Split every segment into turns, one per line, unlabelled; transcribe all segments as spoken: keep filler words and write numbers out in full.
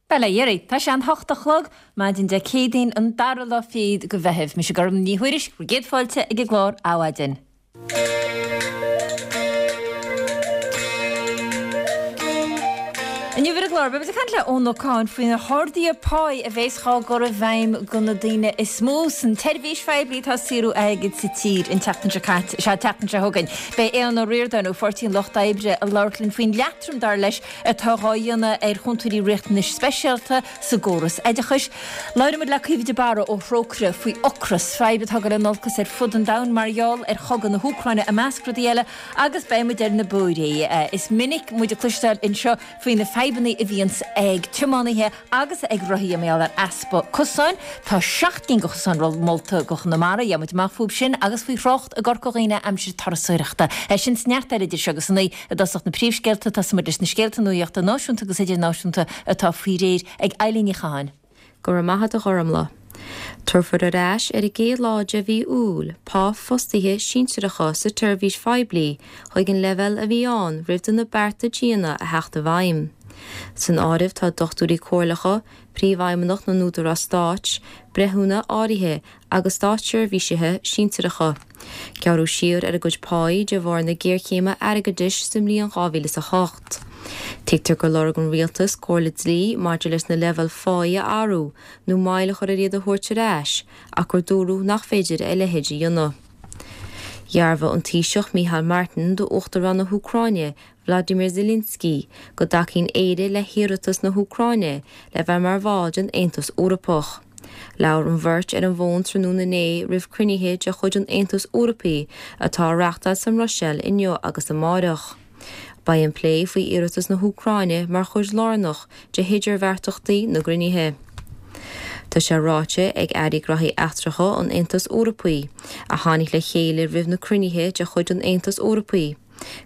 Bail ó Dhia oraibh, tá sé an hocht a chlog, maidin Dé Céadaoin an dara lá fichead de Mheitheamh. Mise Gormfhlaith Ní Thuairisg, bhur gcéad fáilte ag an gclár Adhmhaidin. Inniu ar an gclár, beidh muid ag caint le Eoin Ó Catháin faoi na harduithe páí a bheas dhá gcur i bhfeidhm do na daoine is mó san tseirbhís phoiblí atá ag saothrú airgid sa tír an tseachtain seo caite, sea, an tseachtain seo chugainn. Beidh Aodhán Ó Ríordáin ó Pháirtí an Lucht Oibre ag labhairt linn faoin leatrom, dar leis, atá dhá dhéanamh ar chúntóirí riachtanais speisialta sa gcóras oideachais. Labhróidh muid le Caoimhe de Barra ó Thrócaire faoi ocras, fadhb atá ag dul in olcas ar fud an domhain mar gheall ar chogadh na hÚcráine i measc rudaí eile, agus beidh muid ar na bóithre. Is minic muid ag cloisteáil anseo faoi na fadhbanna a bhíonns ag tiománaithe agus ag rothaithe mar gheall ar easpa cosáin. Tá seacht gcinn de chosáin molta do Chonamara, gheobhaidh muid amach fúb sin agus faoi thrácht i gCorca Dhuibhne aimsir turasóireachta. É sin is neart eile idir seo agus a naoi. I dtosach na príomhscéalta, tosóidh muid leis na scéalta nuachta náisiúnta agus idirnáisiúnta atá faoi réir ag Eilín Ní Chatháin.
Go raibh maith agat a Ghormfhlaith. Tabharfar ar ais ar an gcéad lá de mhí Iúil pá fostaithe sinsearacha sa tseirbhís phoiblí chuig an leibhéal a bhí ann roimh do na bearta diana a theacht i bhfeidhm. San áireamh tá dochtúirí comhairleacha, príomhfheidhmeannach na n-údarás stáit, breithiúna áirithe agus státseirbhísithe sinsearacha. Gearradh siar ar a gcuid páí de bharr na géarchéime airgeadais sa mbliain dhá mhíle is a hocht. Tuigtear gur lorg an rialtas comhairle dlí maidir leis na leibhéil pháí a athrú nó moill a chur ar iad a thabhairt ar ais ach gur dúradh nach féidir a leithéid a dhéanamh. Dhearbhaigh an Taoiseach Micheál Martin d'Uachtarán na hÚcráine Vladimir Zelensky go dtacaíonn Éire le hiarratas na hÚcráine le bheith mar bhall den Aontas Eorpach. Labhair an bheirt ar an bhfón tráthnóna inné roimh cruinnithe de chuid an Aontais Eorpaigh atá á reáchtáil sa mBruiséil inniu agus amárach. Beidh an plé faoi iarratas na hÚcráine mar chuid lárnach de hidirbheartaíochtaí na gcruinnithe. Tá sé ráite ag Airí Gnóthaí Eachtracha an Aontais Eorpaigh, a tháinig le chéile roimh na cruinnithe de chuid an Aontais Eorpaigh,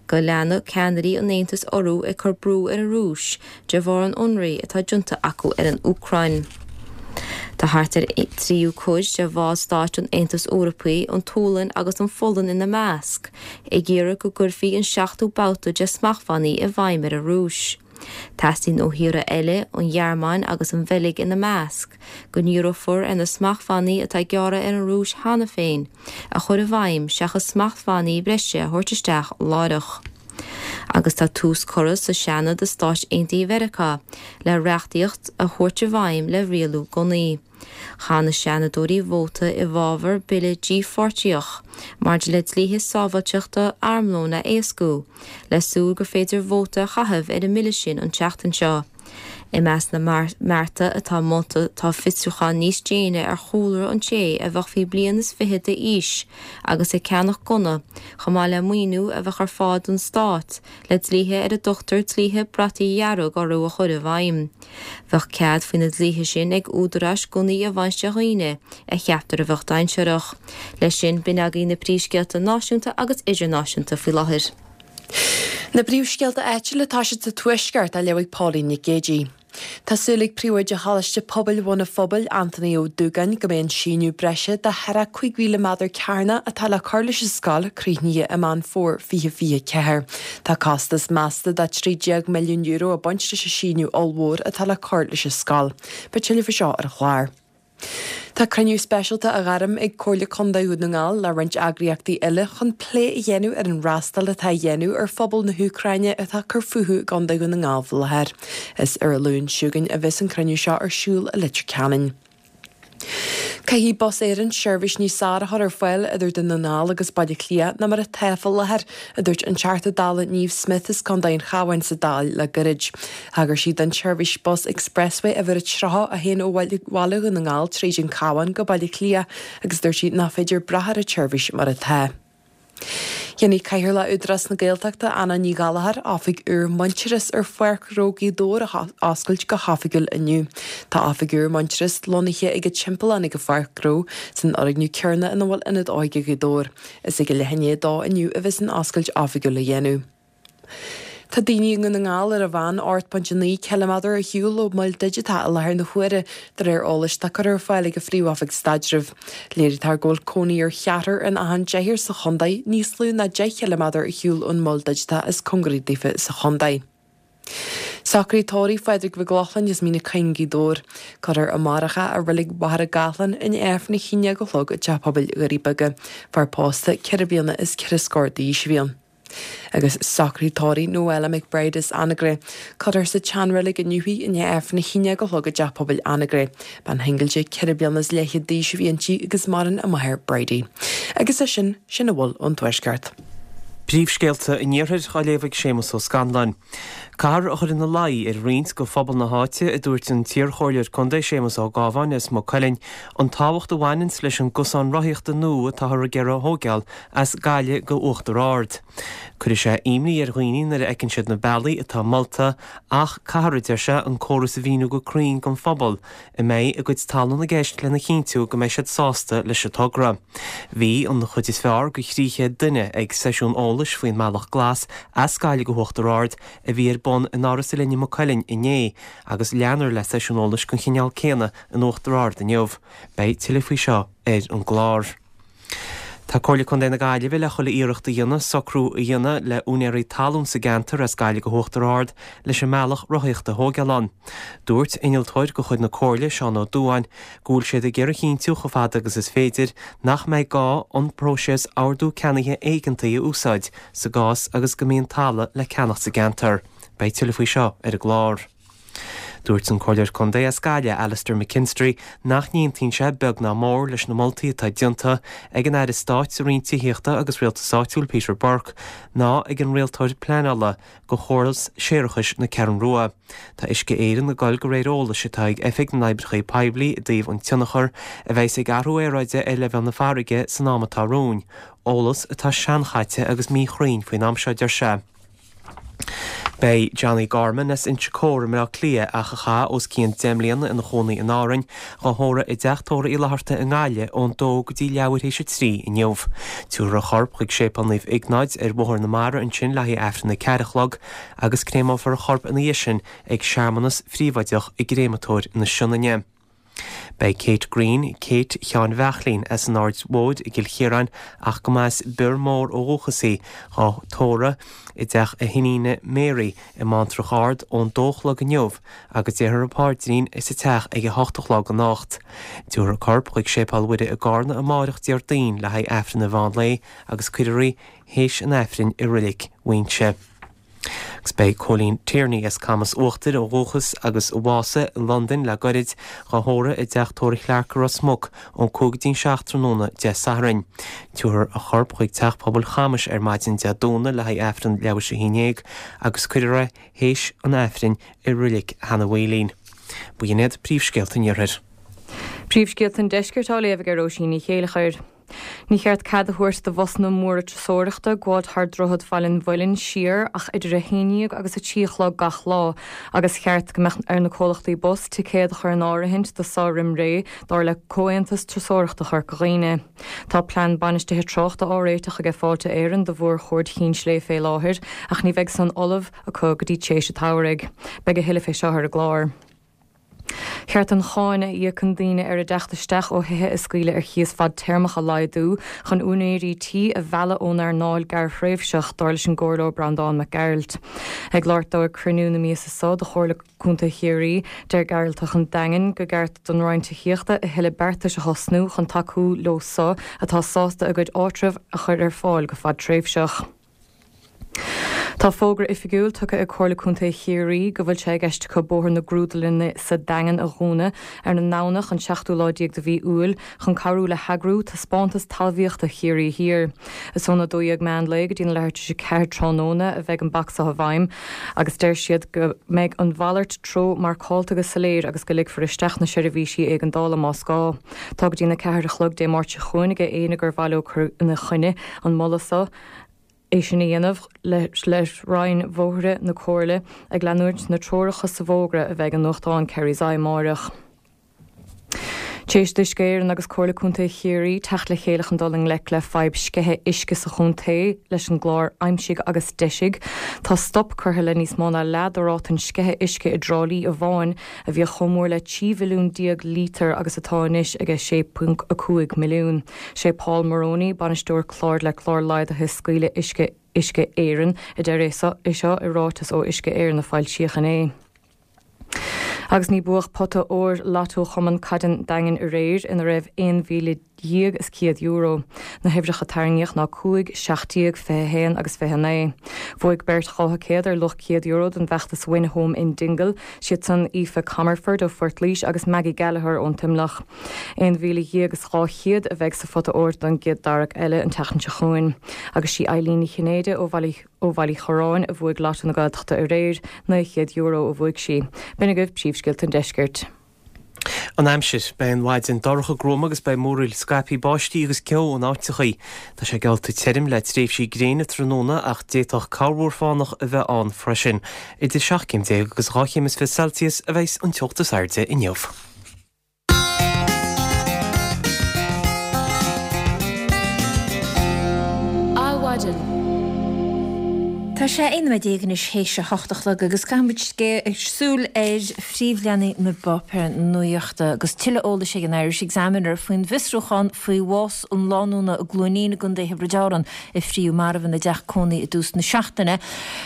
go leanfaidh ceannairí an Aontais orthu ag cur brú ar an Rúis de bharr an ionraidh atá déanta acu ar an Úcráin. Tá thart ar tríú cuid de bhallstáit an Aontais Eorpaigh, an tSualainn agus an Pholainn ina measc, ag iarraidh go gcuirfí an seachtú babhta de smachtbhannaí i bhfeidhm ar an Rúis. Teastaíonn ó thíortha eile, an Ghearmáin agus an Bheilg ina measc, go ndíreofar ar na smachtbhannaí atá gearrtha ar an Rúis cheana féin a chur i bhfeidhm seachas smachtbhannaí breise a thabhairt isteach láithreach. Agus tá tús curtha sa Seanad i Stáit Aontaithe Mheiriceá le reachtaíocht a thabhairt i bhfeidhm le rialú gunnaí. Chaith na Seanadóirí vóta i bhfabhar bille dípháirteach maidir le dlíthe sábháilteachta armlóin a éascú, le súil gur féidir vóta a chaitheamh ar an mbille sin an tseachtain seo. I measc na mbearta atá molta tá fiosrúchán níos déine ar chúlra an té a bheadh faoi bliain is fiche d'aois agus ag ceannach gunna, chomh maith le maoiniú a bheadh ar fáil don stát le dlíthe ar a dtugtar dlíthe brataí dhearg orthu a chur i bhfeidhm. Bheadh cead faoi na dlíthe sin ag údaráis gunnaí a bhaint de dhaoine a cheaptar a bheadh dainséarach. Leis sin, b'in agaibh na príomhscéalta náisiúnta agus idirnáisiúnta faoi láthair.
Na príomhscéalta áitiúla atá siad sa Tuaisceart á léamh ag Pauline Nic Géidigh. Tá súil ag Príomhoide Choláiste Pobail Bhun an Phobail, Anthony Ó Dúgáin, go mbeidh an síneadh breise de thart ar cúig mhíle méadar cearnach atá le cur leis an scoil críochnaithe i Meán Fómhair fiche fiche ceathair. Tá costas measta de trí déag milliún euro ag baint leis an síneadh ollmhór atá le cur leis an scoil. Beidh tuilleadh faoi seo ar an chlár. Tá cruinniú speisialta á ghairm ag Comhairle Contae Dhún na nGall le roinnt eagraíochtaí eile chun plé a dhéanamh ar an fhreastal atá á dhéanamh ar phobal na hÚcráine atá ag cur fúthu i gContae Dhún na nGall faoi láthair. Is ar an Luan seo chugainn a bheas an cruinniú seo ar siúl i Leitir Ceanainn. Caithfidh Bus Éireann seirbhís níos fearr a chur ar fáil idir Dún na nGall agus Baile Átha Cliath ná mar atá faoi láthair, a dúirt an Teachta Dála Niamh Smyth as Contae an Chabháin sa Dáil le gairid. Thagair sí don tseirbhís bus Expressway uimhir a tríocha a théann ó Bhaile Dhún na nGall tríd an Cabhán go Baile Átha Cliath agus dúirt sí nach féidir brath ar an tseirbhís mar atá. Déanfaidh Cathaoirleach Údarás na Gaeltachta, Anna Ní Ghallchóir, oifig úr Muintearas ar Pháirc Ghnó Ghaoth Dobhair a oscailt go hoifigiúil inniu. Tá oifig úr Muintearas lonnaithe ag an Timpeallán ag an Pháirc Ghnó, san fhoirgneamh céanna ina bhfuil Ionad Óige Ghaoth Dobhair. Is ag a leath i ndiaidh a dó inniu a bheas an oscailt oifigiúil á dhéanamh. Tá daoine i nDún na nGall ar an mheán ocht bpointe naoi ciliméadar ar shiúl ó mhol digiteach i láthair na huaire, de réir eolais atá curtha ar fáil ag an Phríomh-Oifig Staidrimh. Léirítear go bhfuil cónaí ar cheathrar in achan deichniúr sa chontae níos lú ná deich chiliméadar ar shiúl ón mol digiteach is cóngaraí daofa sa chontae. Socruithe tórraimh Phádraig Mhic Lochlainn as Mín na Coinn, Gaoth Dobhair. Cuirfear amárach é i Reilig Mhachaire Gathlán i ndiaidh Aifreann a haon déag a chlog i dTeach Pobail Dhoirí Beaga. Fear pósta ceithre bliana is ceithre scór d'aois a bhí ann. Agus socruithe tórraimh Noella McBride as Anagaire. Cuirfear sa tseanreilig inniu í i ndiaidh Aifreann a haon déag a chlog i dTeach Pobail Anagaire. Bean shingil ceithre bliana is leathchéad d'aois a bhí inti agus maireann a máthair Bridie. Agus é sin, sin a bhfuil ón Tuaisceart.
Príomhscéalta an Iarthair á léamh ag Séamus Ó Scanláin. Caithfear a chur ina luí ar roinnt de phobal na háite, a dúirt an t-iarchomhairleoir contae Séamus Ó Gábháin as Maigh Cuilinn, an tábhacht a bhaineanns leis an gcosán rothaíochta nua atáthar ag iarraidh a thóigeáil as Gaillimh go Uachtar Ard. Cuirfidh sé imní ar dhaoine nuair a fheiceann siad na bealaí atá molta ach caithfear, a deir sé, an córas a mhíniú go cruinn don phobal a mbeidh a gcuid talún i gceist lena chinntiú go mbeidh siad sásta leis an togra. Bhí an chuid is fearr de thrí chéad duine ag seisiún eolais faoin mBealach Glas as Gaillimh go hUachtar Ard a bhí ar bun in Áras Oileáin i Maigh Cuilinn inné agus leanfar le seisiún eolais den chineál céanna in Uachtar Ard inniu. Beidh tuilleadh faoi seo ar an gclár. Tá Comhairle Contae na Gaillimhe le chuile iarracht a dhéanamh socrú a dhéanamh le úinéirí talún sa gceantar as Gaillimh go hUachtar Ard leis an mbealach rothaíochta a thóigeáil ann. Dúirt innealtóir de chuid na Comhairle, Seán Ó Dúáin, go bhfuil siad ag iarraidh a chinntiú chomh fada agus is féidir nach mbeidh gá an próiseas ordú ceannaithe éigeantaigh a úsáid sa gcás agus go mbíonn talamh le ceannach sa gceantar. Beidh tuilleadh faoi seo ar an gclár. Dúirt an Comhairleoir Contae as Gaillimh, Alastair McKinstry, nach n-aontaíonn sé beag ná mór leis na moltaí atá déanta ag an Aire Stáit sa Roinn Tithíochta agus Rialtais Áitiúil Peter Burke ná ag an Rialtóir Pleanála do chóras séarachais na Ceathrún Rua. Tá Uisce Éireann ag dul de réir eolais atá ag Oifig na nOibreacha Poiblí i dtaobh an tionchar a bheas ag athrú aeráide ar leibhéal na farraige san am atá romhainn, eolas atá seanchaite agus míchruinn faoin am seo, deir sé. Beidh Johnny Gorman as Inse Chór i mBleá Cliath ach a chaith os cionn deich mbliana ina chónaí in Árainn, dhá thórramh i dTeach Tórraimh Uí Fhlatharta i nGaillimh ón dó go dtí leathuair théis a trí inniu. Tabharfar a chorp chuig Séipéal Naomh Iognáid ar Bhóthar na Mara ansin le haghaidh Aifreann a ceathair a chlog agus créamófar a chorp ina dhiaidh sin ag searmanas phríobháideach i gcréamatóir na Sionainne. Beidh Kate Green, Kate Sheáin Bheachlín as an Aird Mhóir i gCill Chiaráin ach go mba as Bior Mór ó dhúchas í, dhá tórramh i dteach a hiníne Mary i mBantrach Ard ón dó a chlog inniu agus déarfar an paidrín sa teach ag a hocht a chlog anocht. Tabharfar a corp chuig Séipéal Mhuire i gCarna amáireach Déardaoin le haghaidh Aifreann an mheán lae agus cuirfear í théis an Aifrinn i Reilig Mhuighinse. Agus beidh Cóilín Tierney as Camas Uachtair ó dhúchas agus a bhásaigh i Londain le goirid dhá thórramh i dTeach Tórraimh Chlarke i Ros Muc ón cúig go dtí'n seacht tráthnóna Dé Sathairn. Tabharfar a chorp chuig Teach Pobail Chamais ar maidin Dé Domhnaigh le haghaidh Aifreann leathuair théis a haon déag agus cuirfear é théis an Aifrinn i Reilig Sheanadh Mhaoilín. B'in iad príomhscéalta an Iarthair.
Príomhscéalta an Deiscirt á léamh ag Róisín Ní Chéilleachair. Ní cheart cead a thabhairt do bhusanna móra turasóireachta gabháil thar Droichead Bhaile an Mhuilinn siar ach idir a haon déag agus a trí a chlog gach lá, agus cheart go mbeadh ar na comhlachtaí bus ticéad a chur in áirithint do seo roimh ré dar le Comhaontas Turasóireachta Chorca Dhuibhne. Tá plean bainistithe tráchta á réiteach aige Fáilte Éireann do mhórchuaird Chinn Sléibhe fé láthair, ach ní bheidh san ullamh acu go dtí tréis an tsamhraidh. Beidh a thuilleadh fé seo ar an gclár. Cheart an cháin a íocann daoine ar a dteacht isteach ó thithe a scaoileadh ar chíos fadtéarmach a laghdú chun úinéirí tí a mhealladh ón earnáil gearrthréimhseach, dar leis an gComhairleoir Breandán Mac Gearailt. Ag labhairt dó ag cruinniú na míosa seo de Chomhairle Contae Chiarraí, deir Gearaltach an Daingin go gceart don Roinn Tithíochta a thuilleadh beartais a thosnú chun tacú leo so atá sásta a gcuid áitreabh a chur ar fáil go fadtréimhseach. Tá fógra oifigiúil tugtha ag Comhairle Contae Chiarraí go bhfuil sé i gceist acu Bóthar na Grúdlainne sa Daingean a dhúnadh ar an nDomhnach an seachtú lá déag de mhí Iúil chun cabhrú le heagrú taispeántas talmhaíochta Chiarraí Thiar. Is óna dó dhéag meán lae go dtí na leathuair tar éis a ceathair tráthnóna a bheidh an bac seo i bhfeidhm agus deir siad go mbeidh an mhalairt treo marcáilte go soiléir agus go ligfear isteach na seirbhísí éigeandála más gá. Tá go dtí na ceathair a chlog Dé Máirt seo chugainn ag éinne gur mhaith leo cur ina choinne an moladh seo. É sin a dhéanamh le Roinn Bhóithre na Comhairle ag leanúint na treoracha sa bhfógra a bheidh i nuachtán Kerry's Eye amáireach. Tréis d'Uisce Éireann agus Comhairle Contae Chiarraí teacht le chéile chun dul i ngleic le fadhb sceitheadh uisce sa chontae leis an gclár Aimsigh agus Deisigh, tá stop curtha le níos mó ná leath de ráta an sceitheadh uisce i dTrá Lí amháin a bhíodh chomh mór le trí mhilliún déag lítear agus atá anois ag a sé ponc a cúig milliún. Sé Paul Moroney, bainisteoir cláir le clár laghdaithe scaoileadh uisce Uisce Éireann, a deir é seo i ráiteas ó Uisce Éireann a foilsíodh inné. Agus ní buadh pota óir Lotto Chumann Caide an Daingin aréir ina raibh aon mhíle dhéag is céad euro. Na huimhreacha a tarraingíodh ná cúig, seacht déag, fiche a haon agus fiche a naoi. Bhuaigh beirt dhá thicéad ar luach céad euro don bhfeachtas Win Home in Dingle, siad san Aoife Comerford ó Phort Laoise agus Maggie Gallagher ón Teamhlach. Aon mhíle dhéag is dhá chéad a bheidh sa phota óir don gcéad tarrac eile an tseachtain seo chugainn. Agus sí Eileen Ní Chinnéide ó Bhaile Ó Bhaile Uí Chorráin a bhuaigh Lotto na Gaeltachta aréir, naoi chéad euro a bhuaigh sí. B'in agaibh príomhscéalta an deiscirt.
An aimsir, Beidh an mhaidin dorcha gruama agus beidh múraíl scaipthe báistí agus ceo in áiteachaí. Tá sé geallta tirim le tréimhsí gréine tráthnóna ach d'fhéadfadh corrmhúr fánach a bheith ann freisin. Idir seacht gcéim déag agus dhá chéim is fiche Celsius a bheas an teocht is airde inniu.
Adhmhaidin. Tá sé aon nóiméad déag anois théis a hocht a chlog agus caithfidh muid súil ar phríomhleathanaigh na bpáipéar nuachta agus tuilleadh eolais ag an Irish Examiner faoin bhfiosrúchán faoi bhás an lánúna i gCluainín i gContae Thiobraid Árann a fríodh marbh ina dteach cónaí i dtús na seachtaine.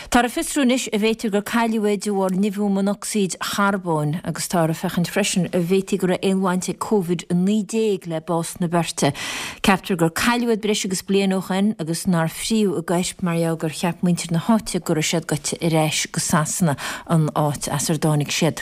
Táthar ag fiosrú anois an bhféadfadh gur cailleadh é de bharr nimhiú monocsaíd charbóin agus táthar ag féachaint freisin an bhféadfaí go raibh aon bhaint ag Covid a naoi déag le bás na beirte. Ceaptar gur cailleadh iad breis agus bliain ó shoin agus nár fríodh a gcoirp mar gheall gur cheap muintir na háite go raibh siad goite ar ais go Sasana, an áit as ar dtáinig siad.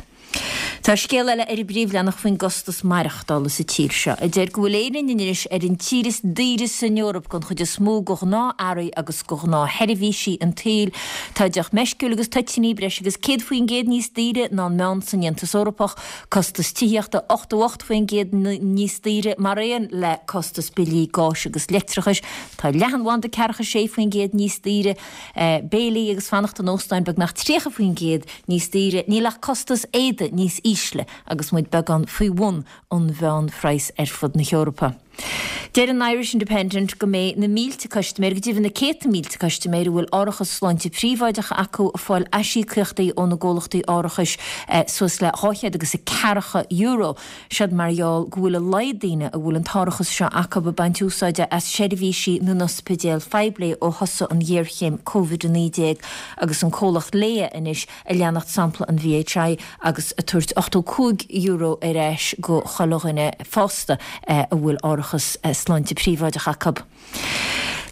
Tá scéal eile ar an bpríomhleathanach faoin gcostas maireachtála sa tír seo, a deir go bhfuil Éirinn anois ar an tír is daoire san Eoraip don chuid is mó de ghnáth-earraí agus de ghnáthsheirbhísí an tsaoil. Tá deoch meisciúil agus toitíní breis agus céad faoin gcéad níos daoire ná an meán san Aontas Eorpach, costas tithíochta ochtó ocht faoin gcéad níos daoire mar aon le costas billí gáis agus leictreachais. Tá leathanbhanda ceathracha sé faoin gcéad níos daoire, béilí agus fanacht in óstáin beagnach tríocha faoin gcéad níos daoire. Níl ach costas éadaí níos ísle agus muid beagán faoi bhun an mheánphraghas ar fud na hEorpa. Deir an Irish Independent go mbeidh na mílte custaiméir, go deimhin na céadta mílte custaiméir a bhfuil árachas sláinte príobháideach acu ag fáil aisíocaíochtaí ó na gcomhlachtaí árachais suas le dhá chéad agus ceathracha euro. Siod mar gheall go bhfuil a laghad daoine a bhfuil an t-árachas seo acu ag baint úsáide as seirbhísí na n-ospidéal phoiblí ó thosaigh an ghéarchéim Covid a naoi déag agus an comhlacht Laya anois ag leanacht sampla an V H I agus ag tabhairt ochtó cúig euro ar ais go chuile dhuine fásta a bhfuil árachas sláinte príobháideach acu.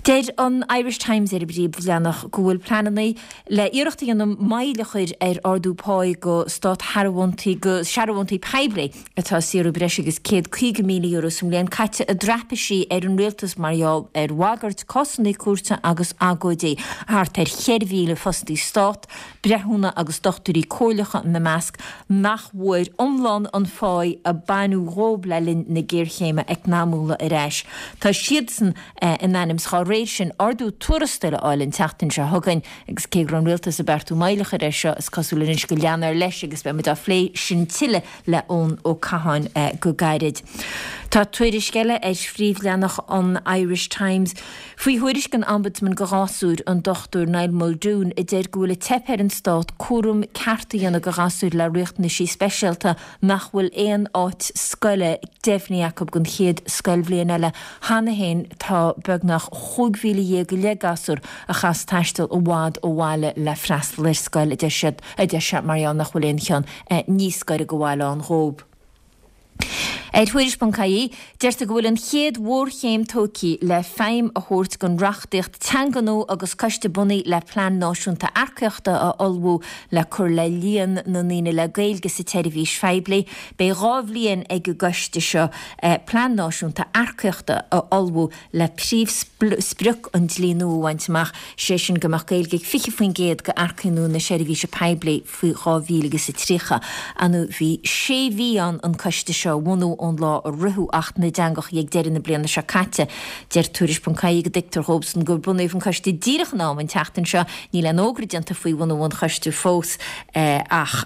Deir an Irish Times ar an bpríomhleathanach go bhfuil pleananna le iarracht a dhéanamh moill a chur ar ardú páí go stát-shearbhóntaí go searbhóntaí poiblí atá ag saothrú breis agus céad caoga míle euro sa mbliain caite i dtraipisí ar an rialtas mar gheall ar bhagairt cásanna cúirte agus agóidí. Thart ar cheithre mhíle fostaí stát, breithiúna agus dochtúirí comhairleacha ina measc, nach bhfuair iomlán an pháí a baineadh dhóibh le linn na géarchéime eacnamúla ar ais. Tá siadsan in ainm is dá réir sin ardú tuarastail a fháil an tseachtain seo chugainn agus cé go raibh an rialtas ag beartú moill a chur air seo, is cosúil anois go leanfar leis agus beidh muid á phlé sin tuilleadh le Eoin Ó Catháin go gairid. Tá tuairisc eile ar phríomhleathanach an Irish Times faoi thuairisc an Ombudsman go ghasúir, an Dochtúir Niall Muldoon, a deir go bhfuil ag teip ar an stát cúram ceart a dhéanamh go ghasúir le riachtanaisí speisialta nach bhfuil aon áit scoile deimhnithe acu don chéad scoilbhliain eile. Cheana féin tá beagnach chúig mhíle dhéag go leith gasúr a chaithfeas taisteal i bhfad ó bhaile le freastal ar scoil, a deir siad, a deir sé, mar gheall nach bhfuil aon cheann níos gaire go bhaile ann dhóibh. Ar Thuairisc ponc ie, deirtear go bhfuil an chéad mhórchéim tógtha le feidhm a thabhairt don reachtaíocht teanga nua agus coiste bunaithe le plean náisiúnta earcaíochta a ullmhú le cur le líon na ndaoine le Gaeilge sa tseirbhís phoiblí. Beidh dhá bhliain ag an gcoiste seo plean náisiúnta earcaíochta a ullmhú le príomhsprioc an dlí nua a bhaint amach, sé sin go mbeadh Gaeilge ag fiche faoin gcéad d'earcaigh nua na seirbhíse poiblí faoi dhá mhíle agus a tríocha. Anu bhí sé mhí ann an coiste seo a bhunú ón lá a ritheadh Acht na dTeangacha ag deireadh na bliana seo caite. Deir Tuairisc ponc ie go dtuigtear dhóibhsan gur bunaíodh an coiste díreach in am an tseachtain seo. Níl aon fhógra déanta faoi bhunú an choiste fós ach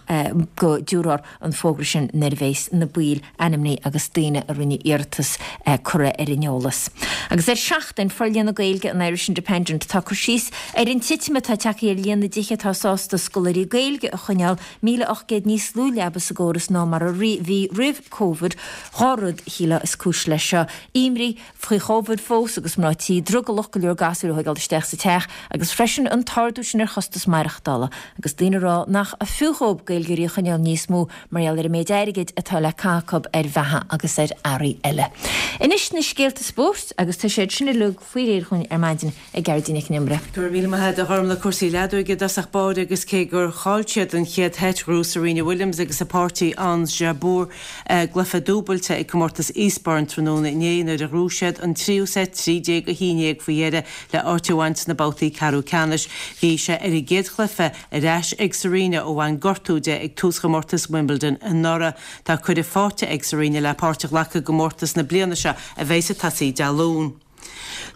go dtabharfar an fógra sin nuair a bheas na baill ainmnithe agus daoine a rinne iarratas curtha ar an eolas. Agus ar Seachtain, Forlíonadh Gaeilge an Irish Independent, tá cur síos ar an titim atá tagtha ar líon na dtithe atá sásta scoláirí Gaeilge a choinneáil, míle ocht gcéad níos lú leaba sa gcóras ná mar a bhí roimh Covid. Dhá rud, shílfeá, is cúis leis seo, imní faoi Chóivid fós agus mná tí drogallach go leor gasúir a thógáil isteach sa teach agus freisin an t-ardú sin ar chostas maireachtála agus daoine ag rá nach fiú dhóibh Gaeilgeoirí a choinneáil níos mó mar gheall ar an méid airgid atá le caitheamh acu ar bheatha agus ar earraí eile. Anois na scéalta spóirt agus tá siad sin uilig faoi réir dhúinn ar maidin ag Gearóidín Nic an Iomaire.
Go raibh míle maith agat a Ghormlaith. Cúrsaí leadóige i dtosach báire agus cé gur chaill siad an chéad sheit ghnóthaigh Serena Williams agus a páirtí Ons Jabeur gcluiche dúbailte ag comórtas Eastbourne tráthnóna inné nuair a ghnóthaigh siad an tríú seit trí déag a haon déag faoi dheireadh le áit a bhaint sna babhtaí ceathrú ceannais. Bhí sé ar an gcéad chluiche ar ais ag Serena ó bhain gortú di ag tús chomórtas Wimbledon anuraidh. Tá cuireadh faighte ag Serena le páirt a ghlacadh i gcomórtas na bliana seo a bheas ag tosaí Dé Luain.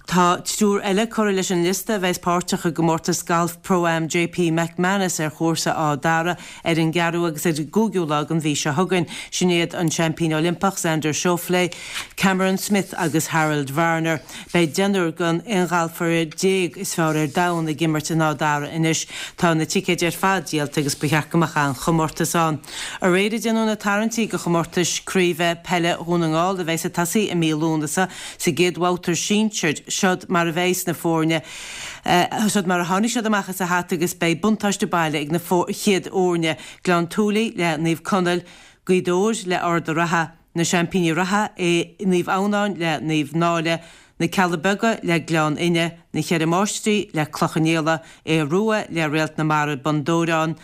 Tá triúr eile curtha leis an liosta a bheas páirteach i gcomórtas gailf Pro-Am JP McManus ar chúrsa Áth Dara ar an gceathrú agus ar an gcúigiú lá den mhí seo chugainn. Sin iad an seaimpín Oilimpeach Xander Schauffele, Cameron Smith agus Harold Varner. Beidh deichniúr den aon ghalfaire déag is fearr ar domhan ag imirt in Áth Dara anois. Tá na ticéid ar fad díolta agus ba cheart go mbeadh an-chomórtas ann. Aréir a déanadh na tarraingtí do chomórtais craoibhe peile Dhún na nGall a bheas ag tosaí i mí Lúnasa sa gcéad bhabhta sinsir. Siod mar a bheas na foirne, siod mar a tháinig siad amach as an hata agus beidh buntáiste baile ag na chéad fhoirne, Gleann tSúilí le Naomh Conaill, Gaoth Dobhair le Ard a' Rátha, na seaimpíní reatha, Naomh Adhamhnáin le Naomh Náille, Na Cealla Beaga le Gleann Fhinne, Na Ceithre Máistrí le Cloich Cheann Fhaola, Aodh Rua le Réalt na Mara Bun Dobhráin,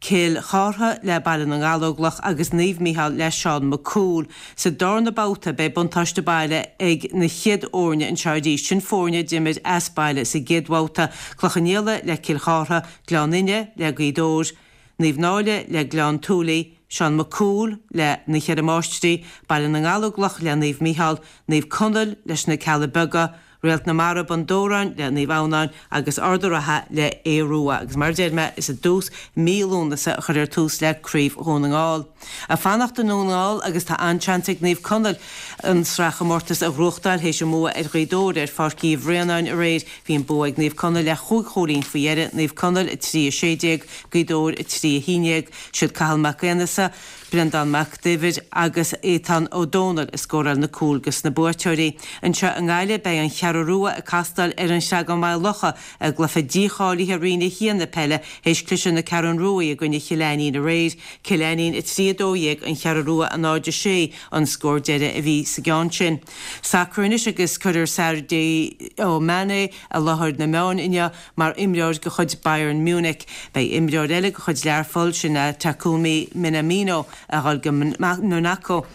Cill Chártha le Baile na nGallóglach agus Naomh Mícheál le Seán Mac Cumhaill. Sa darna babhta beidh buntáiste baile ag na chéad fhoirne anseo arís, sin foirne a d'imir as baile sa gcéad bhabhta, Cloich Cheann Fhaola le Cill Chártha, Gleann Fhinne le Gaoth Dobhair, Naomh Náille le Gleann tSúilí, Seán Mac Cumhaill le Na Ceithre Máistrí, Baile na nGallóglach le Naomh Mícheál, Naomh Conaill leis na Cealla Beaga, Réalt na Mara Bun Dobhráin le Naomh Adhamhnáin agus Ard a' Rátha le Aodh Rua agus mar a deir mé is i dtús mí Lúnasa a chuirfear tús le Craobh Dhún na nGall. Ag fanacht i nDún na nGall agus tá an-seans ag Naomh Conaill an sraithchomórtas a ghnóthachtáil théis a mbua ar Ghaoth Dobhair ar Pháirc Uí Bhraonáin aréir. Bhí an bua ag Naomh Conaill le chúig chúilín faoi dheireadh, Naomh Conaill a trí a sé déag, Gaoth Dobhair a trí a haon déag. Siad Cathal Mac Aonghusa, Breandán Mac Duibhir agus Aodhán Ó Dónaill a scóráil na cúil dos na buaiteoirí. Anseo i nGaillimh beidh an Cheathrú Rua ag castáil ar an Chreagán Maigh Locha i gcluiche dícháilithe Roinn a hAon na peile théis cliseadh na Ceathrún Ruaidh i gcoinne Chill Ainnín aréir. Cill Ainnín a trí a dó dhéag, An Cheathrú Rua a náid a sé an scór deiridh a bhí sa gceann sin. Sacar anois agus cuirfear Sadio Mané i láthair na meáin inniu mar imreoir de chuid Bayern Munich. Beidh imreoir eile de chuid Learpholl, sin é Takumi Minamino, a dhul go Monaco.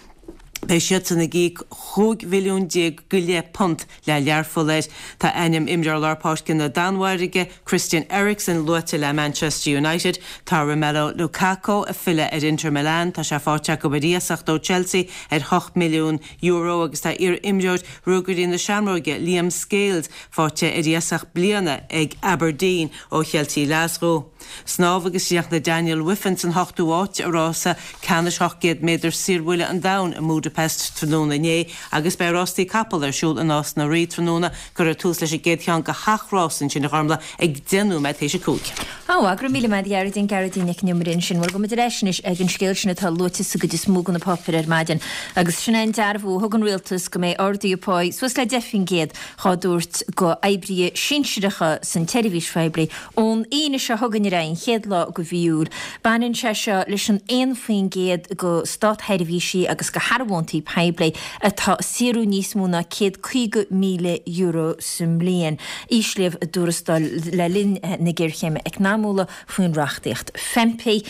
Beidh siadsan ag íoc chúig mhilliún déag go leith punt le Learpholl air. Tá ainm imreoir lár páirce na Danmhairge, Christian Eriksen, luaite le Manchester United. Tá Romelu Lukaku ag filleadh ar Inter Milan. Tá sé faighte acu ar iasacht ó Chelsea ar hocht milliún euro agus tá iar-imreoir Ruagairí na Seamróige, Liam Scales, faighte ar iasacht bliana ag Aberdeen ó Cheiltigh Ghlaschú. Snámh agus chríochnaigh Daniel Wiffen san ochtú háit i rása ceannais ocht gcéad méadar saorbhuille an domhain i mBúdaipeist tráthnóna inné agus beidh rástaí capall ar siúl i Nás na Rí tráthnóna. Cuirfear tús leis an gcéad cheann de sheacht rás ansin a Ghormlaith ag deich nóiméad théis a cúig.
Ó, go raibh míle maith agat a Ghearóidín, Gearóidín Nic an Iomaire ansin. Bhuel, gabhfaidh muid ar ais anois ag an scéal sin atá luaite sa gcuid is mó de na páipéir ar maidin agus sin é an dearbhú a thug an rialtas go mbeidh arduithe páí suas le deich faoin gcéad dhá dtabhairt go oibrithe sinsearacha san tseirbhís phoiblí ón Aoine seo chugainn ar aghaidh, an chéad lá go mhí Iúil. Baineann sé seo leis an aon faoin gcéad go státsheirbhísí agus go shearbhóntaí poiblí atá ag saothrú níos mó ná céad caoga míle euro sa mbliain, íslíodh a dtuarastail le linn na géarchéime eacnamúla faoin reachtaíocht FEMPI.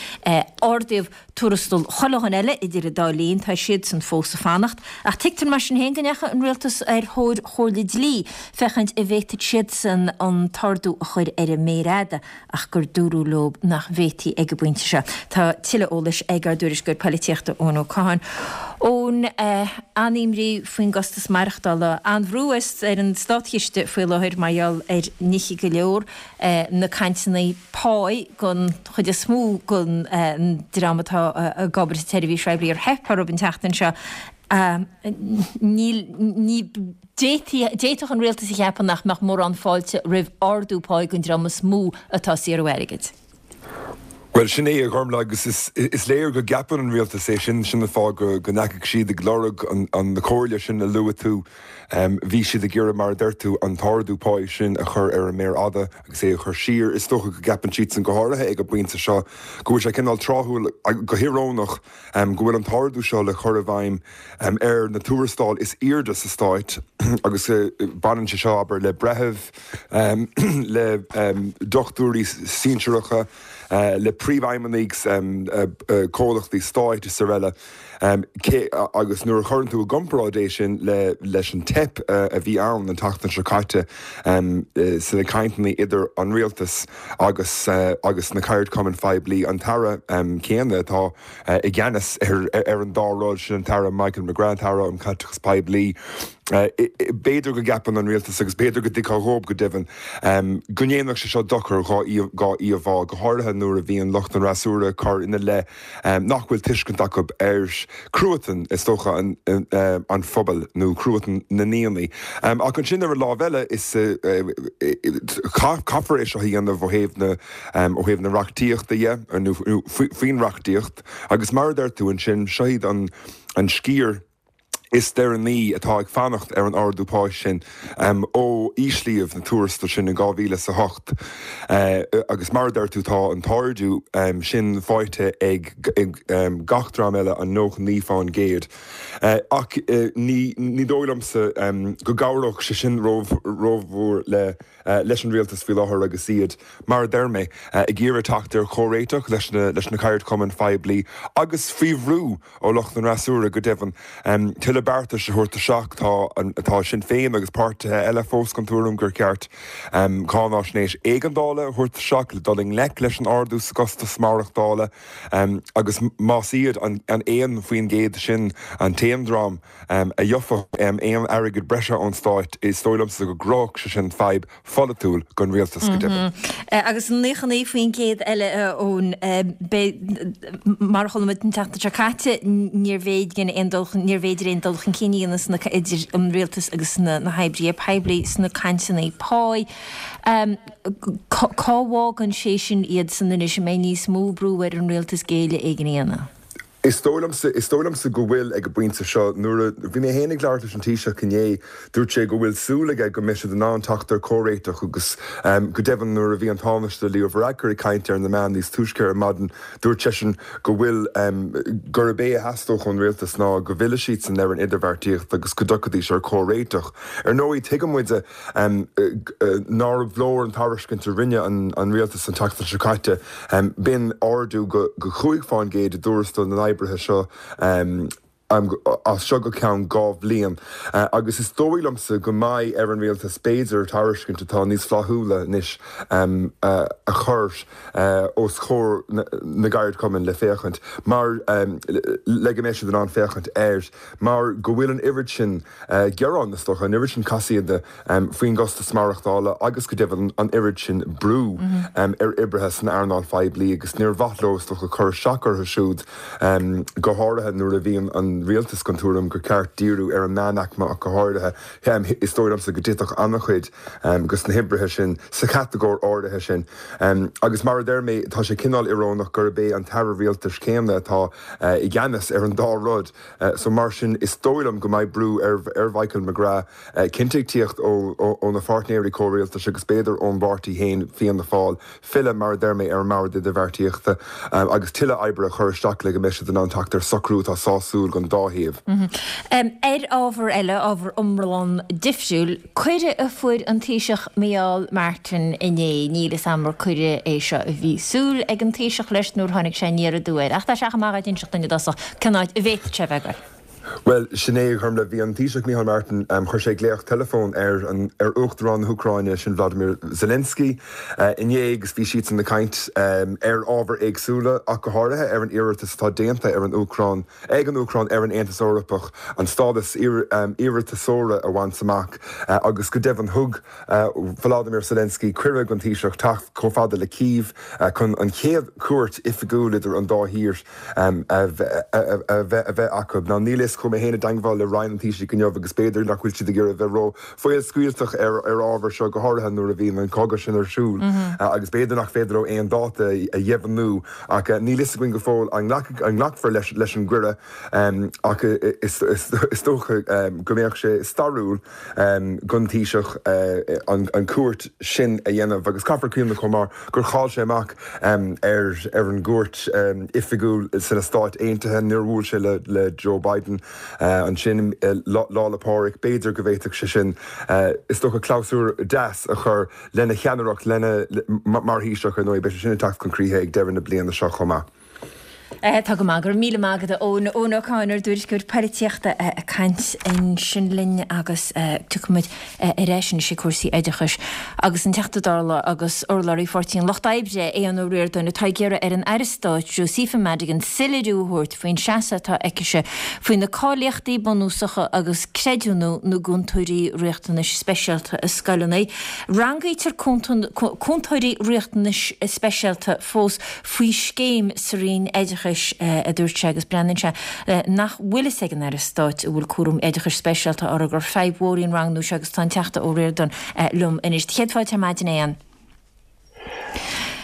Ardaíodh tuarastal chuile dhuine eile idir an dá linn, tá siadsan fós ag fanacht. Ach tuigtear mar sin féin go ndeachaigh an rialtas ar thóir chomhairle dlí féachaint an bhféadfadh siadsan an t-ardú a chur ar an méar fhada ach gur dúradh leo nach bhféadfaí ag an bpointe seo. Tá tuilleadh eolais ag ár dtuairisceoir polaitíochta Eoin Ó Catháin. Eoin, an-imní faoin gcostas maireachtála, an-bhrú ar an státchiste faoi láthair mar gheall ar nithe go leor, na cainteanna páí don chuid is mó den dream atá ag obair sa tseirbhís phoiblí ar theip orthu an tseachtain seo. Níl, ní, d'fhéadfadh an rialtas a cheapadh nach mbeadh mórán fáilte roimh ardú páí don dream is mó atá ag saothrú airgid.
Well sin é a Ghormfhlaith agus is, is léir go gceapann an rialtas é sin sin an fáth go go ndeachaigh siad ag lorg an, an na comhairle sin a luaigh tú. Um, bhí siad ag iarraidh mar a deir tú an t-ardú páí sin a chur ar an méar fhada agus é a chur siar. Is dócha go gceapann siad san go háirithe ag an bpointe seo go bhfuil sé cineál tráthúil go híorónach um, go bhfuil an t-ardú seo le chur i bhfeidhm um, ar na tuarastail is airde sa stát agus uh, baineann sé seo abair le breithimh um, le um, dochtúirí sinsearacha uh, le príomhfheidhmeannaigh um, uh, uh, comhlachtaí stáit is araile. Um, cé, agus nuair a chuireann tú i gcomparáid é sin le, leis an teip uh, a bhí ann an tseachtain seo caite um, uh, sna cainteanna idir an rialtas agus uh, agus na ceardchumainn phoiblí an tAire um, céanna atá uh, i gceannas ar, ar, ar an dá rud sin an tAire Michael McGrath Aire um Chaiteachas Poiblí. Uh, b'fhéidir go gceapann an rialtas agus b'fhéidir go dtuigfeá dhóibh go deimhin um, go ndéanfadh sé seo dochar dhá íomhá go háirithe nuair a bhíonn lucht an fhreasúra ag cur ina leith um, nach bhfuil tuiscint acu ar chruatan is dócha an, uh, an phobal nó cruatan na ndaoine. Um, ach ansin ar an lámh eile is uh, uh, caithfear é seo a dhéanamh ó thaobh na um, ó thaobh na reachtaíochta dhe nó faoin reachtaíocht agus mar a deir tú ansin seo iad an, an sciar is deireanaí atá ag fanacht ar an ardú pá sin um, ó íslíodh na tuarastail sin in dhá mhíle a hocht. Uh, agus mar a deir tú tá an t-ardú um, sin faighte ag, ag um, gach dream eile an nócha naoi faoin gcéad. Uh, ach uh, ní, ní dóigh liomsa um, go gcabhródh sé sin rómhór le uh, leis an rialtas faoi láthair agus iad mar a deir mé uh, ag iarraidh teacht ar chomhréiteach leis na, leis na ceardchumainn phoiblí agus faoi bhrú ó lucht an fhreasúra go deimhin um, tuilleadh beartais a thabhairt isteach tá atá Sinn Féin agus páirtithe eile fós den tuairim gur ceart um, cáinaisnéis éigeandála a thabhairt isteach le dul i ngleic leis an ardú sa gcostas maireachtála um, agus más iad an, an aon faoin gcéad sin an t-aon dream um, a gheobhadh um, aon airgead breise ón stát is dóigh liomsa go gcruthódh sé sin fadhb pholaitiúil don rialtas go deimhin.
Agus an nócha naoi faoin gcéad eile ón mar a chuala muid an tseachtain seo caite níorbh fhéidir aon dul níorbh fhéidir aon dul chun cinn a dhéanamh idir an rialtas agus na, na hoibrithe poiblí sna cainteanna pá. Um, cá bhfágann sé sin iad san anois mbeidh níos mó brú ar an rialtas géilleadh éigin a dhéanamh.
Is dóigh is dóigh liomsa go bhfuil ag an bpointe seo nuair a bhí mé féin ag labhairt leis an Taoiseach inné dúirt sé go bhfuil súil aige go mbeidh siad in ann teacht ar chomhréiteach agus um, go deimhin nuair a bhí an Tánaiste Leo Varadkar ag caint ar na meáin níos túisce ar maidin dúirt seisean go bhfuil um, gurb é a theastódh ón rialtas ná go bhfillfeadh siadsan ar an idirbheartaíocht agus go dtiocfaidís ar chomhréiteach. Ar ndóigh tuigeann muid um, nár leor an tairiscint a rinne an, an rialtas an tseachtain seo caite um, b'in ardú go, go cúig faoin gcéad i dtuarastal na oibrithe seo um, um, as seo go ceann dhá bhliain. Uh, agus is dóigh liomsa go mbeidh ar an rialtas b'fhéidir tairiscint atá níos flaithiúla anois um, uh, a chur uh, os comhair na, na gceardchumann le féachaint mar um, le go mbeidh siad in ann féachaint air mar go bhfuil an oiread sin uh, gearán is dócha an oiread sin casaoide um, faoin gcostas maireachtála agus go deimhin an oiread sin brú mm -hmm. um, ar oibrithe san earnáil phoiblí agus níor mhaith leo is dócha cur isteach orthu siúd um, go háirithe nuair a bhíonn an rialtas den tuairim gur ceart díriú ar an meánaicme ach go háirithe um, is dóigh liomsa go dtitfeadh an-chuid um, dos na hoibrithe sin sa chatagóir áirithe sin. Um, agus mar a deir mé tá sé cineál íorónach gurb é an tAire rialtais céanna atá uh, i gceannas ar an dá rud. Uh, so mar sin is dóigh liom go mbeidh brú ar, ar Michael McGrath uh, cinnte teacht ó, ó, ó na páirtnéirí comhrialtais agus b'fhéidir ón bpáirtí féin Fianna Fáil filleadh mar a deir mé ar an mbord idirbheartaíochta um, agus tuilleadh oibre a chur isteach le go mbeidh siad in ann teacht ar socrú atá sásúil don dá thaobh.
Mm -hmm. um, ar ábhar eile ábhar iomlán difriúil, cuireadh a fuair an Taoiseach Micheál Martin inné níl a fhios agam ar cuireadh é seo a bhí súil ag an Taoiseach leis nuair tháinig sé aniar aduaidh, ach tá sé amach ag inseacht duine dosach cén áit a bhféadfadh sé bheith.
Well sin é chum le bhí an Taoiseach Micheál Martin um, chuir sé glaoch teileafóin ar an ar Uachtarán na hÚcráine sin Vladimir Zelensky uh, inné agus bhí siad ag caint um, ar ábhair éagsúla ach go háirithe ar an iarratas atá déanta ar an Úcráin ag an Úcráin ar an Aontas Eorpach an stádas um, iarratasóra a bhaint amach uh, agus go deimhin thug uh, Vladimir Zelensky cuireadh don Taoiseach teacht chomh fada le Kiev uh, chun an chéad chuairt oifigiúil idir an dá thír um, a bheith acu. Ná níl chomh Chuaigh mé féin i dteangmháil le Roinn an Taoisigh inniu agus b'fhéidir nach bhfuil siad ag iarraidh bheith ró-fhaolscaoilteach ar ar ábhar seo, go háirithe nuair a bhíonn an cogadh sin ar siúl agus b'fhéidir nach féidir leo aon dáta a dheimhniú. Ach níl fhios againn go fóill an nglacfar leis leis an gcuireadh ach is is dócha go mbeadh sé stairiúil don Taoiseach an cuairt sin a dhéanamh agus caithfear cuimhneamh chomh maith gur chaill sé amach ar ar an gcuairt oifigiúil sna Stáit Aontaithe nuair a bhuail sé le le Joe Biden ansin Lá 'le Pádraig. B'fhéidir go bhféadfadh sé sin is dócha clabhsúr deas a chur lena cheannaireacht lena mar Thaoiseach ar ndóigh beidh sé sin ag teacht chun críche ag deireadh na bliana seo chomh maith.
Tá go maith, go raibh míle maith agat Eoin, Eoin Ó Cadhain, ár dtuairisceoir polaitíochta ag caint ansin linn agus tiocfaimid ar ais anois ag cúrsaí oideachais agus an Teachta Dála agus urlabhraí Pháirtí an Lucht Oibre, Aodhán Ó Ríordáin, atá ag iarraidh ar an Aire Stáit Josepha Madigan soiléiriú a thabhairt faoin seasamh atá aicise faoi na cáilíochtaí bunúsacha agus creidiúnú na gcúntóirí riachtanais speisialta i scoileanna. Rangaítear cúntóirí riachtanais speisialta fós faoi scéim sa Roinn Oideachais, a dúirt sé, agus breathnaíonn sé nach bhfuil fhios ag an Aire Stáit a bhfuil cúram oideachais speisialta orthu gur fadhb mhór í an rangnú seo agus tá an Teachta Ó Ríordáin liom anois. Céad fáilte ar maidin, a Aodháin.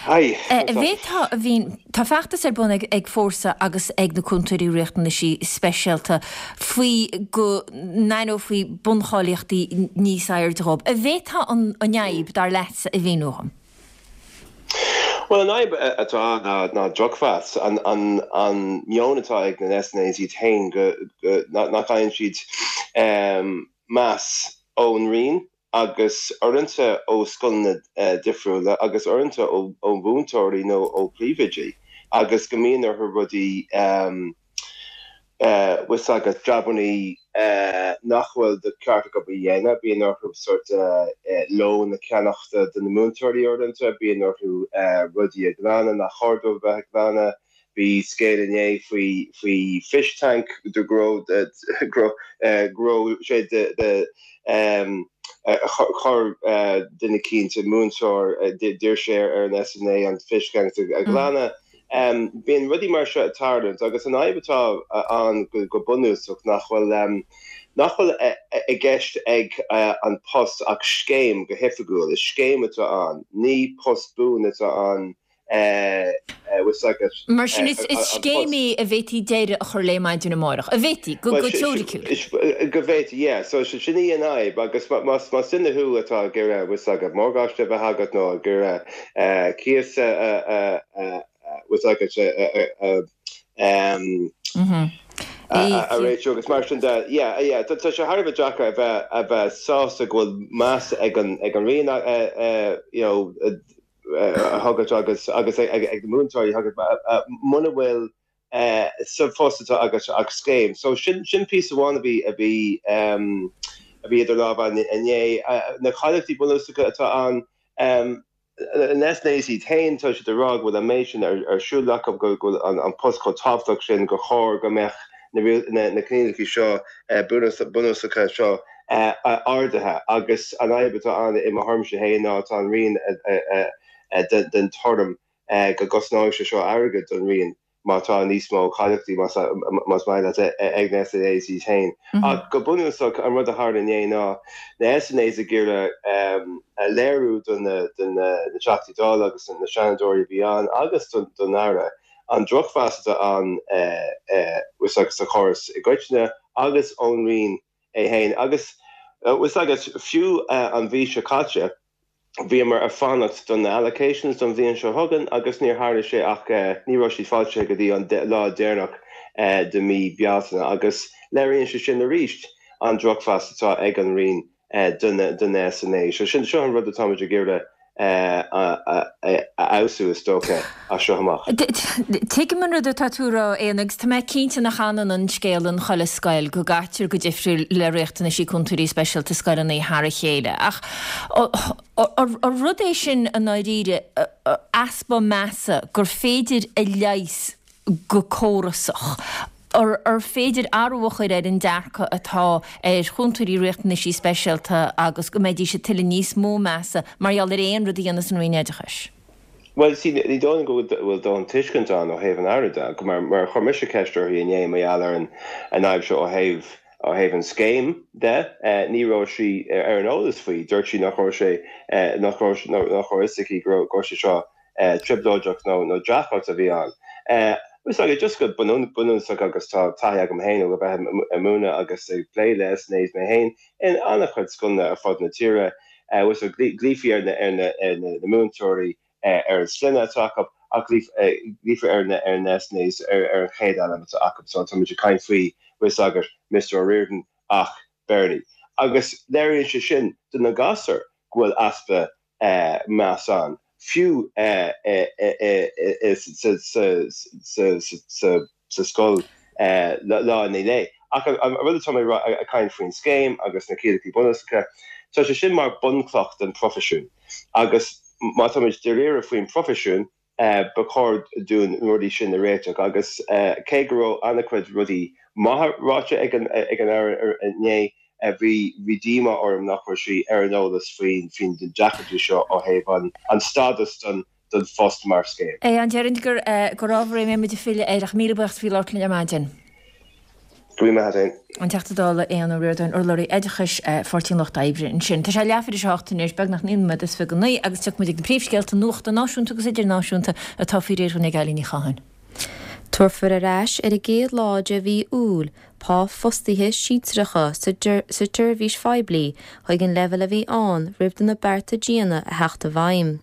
Hi.
Bhí, tá, bhí, tá feachtas ar bun ag, ag Fórsa agus ag na cúntóirí riachtanaisí speisialta faoi go n-aithneofaí buncháilíochtaí níos airde dhóibh. An bhféadfá an, an fhadhb, dar leatsa, a mhíniú dhom?
Bhuel, an fhadhb atá ann ná, ná drochmheas. An, an, an meon atá ag na SNAs iad féin go, go, nach, nach bhfaigheann siad um, meas ón Roinn agus uaireanta ó scoileanna difriúla agus uaireanta ó ó mhúinteoirí nó ó phríomhoidí agus go mbíonn orthu rudaí bhfuil agat jabannaí nach bhfuil de cheart acu a dhéanamh, bíonn orthu sort lón a cheannach do na múinteoirí uaireanta, bíonn orthu rudaí a ghlanadh nach chóir dóibh a bheith ag glanadh. Bhí scéal inné faoi faoi fish tank do go raibh go raibh sé de de chuir duine eicínt, múinteoir, d'iarr sé ar an SNA an fish tank a ghlanadh. Bíonn rudaí mar seo ag tarlúint agus an fhadhb atá ann go bunúsach nach bhfuil nach bhfuil i gceist ag an post ach scéim go hoifigiúil. Is scéim atá ann, ní post buan atá ann.
Mar sin is scéim í a bhféadfaí deireadh a chur léi maidin amárach. A bhféadfaí, go teoiriciúil.
Go bhféadfaí, yeah. So sin í an fhadhb agus más duine thú atá ag iarraidh, bhfuil agat, morgáiste a bheith agat nó ag iarraidh cíos a bhfuil agat a réitiú agus mar sin de. Yeah, yeah. Tá sé thar a bheith deacair a bheith a bheith sásta go bhfuil meas ag an ag an Roinn you know agat agus agus ag na múinteoirí agat muna bhfuil sa phost atá agat ach scéim. So sin sin píosa amháin a bhí a bhí a bhí idir lámha inné. Na cáilíochtaí bunúsacha atá ann na SNAs iad féin tá siad ag rá go bhfuil an méid sin ar siúl acu go bhfuil an post chomh tábhachtach sin gur chóir go mbeadh na na coinníollacha seo bunúsacha seo ardaithe agus an fhadhb atá ann i mo thuairimse féin ná tá an Roinn den tuairim go gcosnóidh sé seo airgead don Roinn má tá níos mó cáilíochtaí más maith leat ag na SNAs iad féin. Ach go bunúsach an rud a tharla inné ná na SNAs ag iarraidh a léiriú do na Teachtaí Dála agus na Seanadóirí a bhí ann agus don Aire an drochmheas atá ann sa chóras i gcoitinne agus ón Roinn é féin. Agus bhfuil agat fiú an mhí seo caite, bhíomar ag fanacht do na allocations don bhliain seo chugainn agus níor tharla sé ach ní raibh siad foilsithe go dtí an lá deireanach de mhí Bealtaine agus léiríonn sé sin arís an drochmheas atá ag an Roinn do na SNA. So sin seo an rud atáimid ag iarraidh a fheabhsú is dócha as seo amach.
Tuigim an rud atá tú a rá, a Aodháin, agus tá mé cinnte nach ionann an scéal in chuile scoil, go gcaitear go difriúil le riachtanaisí cúntóirí speisialta scoileanna thar a chéile. Ach ar rud é sin i ndáiríre, easpa measa gur féidir a leigheas go córasach? Ar féidir athrú a chur ar an dearcadh atá ar chúntóirí riachtanaisí speisialta agus go mbeidís ag tuilleadh níos mó measa mar gheall ar aon rud a dhéanas an Roinn Oideachais?
Bhuel, see, ní dóigh liom go bhfuil dóthain tuiscint ann ó thaobh an Aire de, mar mar chuir mise ceist uirthi inné mar gheall ar an an fhadhb seo ó thaobh ó thaobh an scéim de, ní raibh sí ar an eolas faoi. Dúirt sí nach raibh sé nach raibh nach raibh fhios aici go raibh go raibh sé seo trioblóideach nó nó deacracht a bhí ann. Is ag just go bunúsach agus tá taithí agam féin ó bheith ag múineadh agus ag plé le SNAs mé féin in an-chuid scoileanna ar fud na tíre, glaofaí ar na ar na ar na múinteoirí ar an sloinne atá acu ach glaofar ar na ar na SNAs ar ar an chéad ainm atá acu. So táimid ag caint faoi bhfuil a fhios agat Mister O'Riordan ach Bernie. Agus léiríonn sé sin do na gasúir go bhfuil easpa meas ann, fiú sa scoil lá i ndiaidh lae. Ach an rud atá mé ag caint faoin scéim agus na ciallacha bunúsacha, tá sé sin mar bunchloch den phroifisiún agus má táimid dáiríre faoin bproifisiún, ba chóir dúinn na rudaí sin a réiteach. Agus cé go raibh an-chuid rudaí maithe ráite ag an Aire inné, bhí bhí díomá orm nach raibh sí ar an eolas faoin faoin deacrachtaí seo ó thaobh an stádas don don phost mar scéim.
Aodhán, déarfainn gur gur ábhar é a mbeidh muid ag filleadh air ach míle buíochas faoi labhairt linn ar maidin.
Go raibh maith agat.
An Teachta Dála Aodhán Ó Ríordáin, urlabhraí oideachais, Pháirtí an Lucht Oibre ansin. Tá sé leathuair tar éis a hocht anois, beagnach naoi nóiméad is fiche go naoi, agus tiocfaidh muid ag na príomhscéalta nuachta náisiúnta agus idirnáisiúnta atá faoi réir ag Eilín Ní Chatháin.
Tabharfar ar ais ar an gcéad lá de mhí Iúil pá fostaithe sinsearacha sa tseirbhís phoiblí chuig an leibhéal a bhí ann roimh do na bearta diana a theacht i bhfeidhm.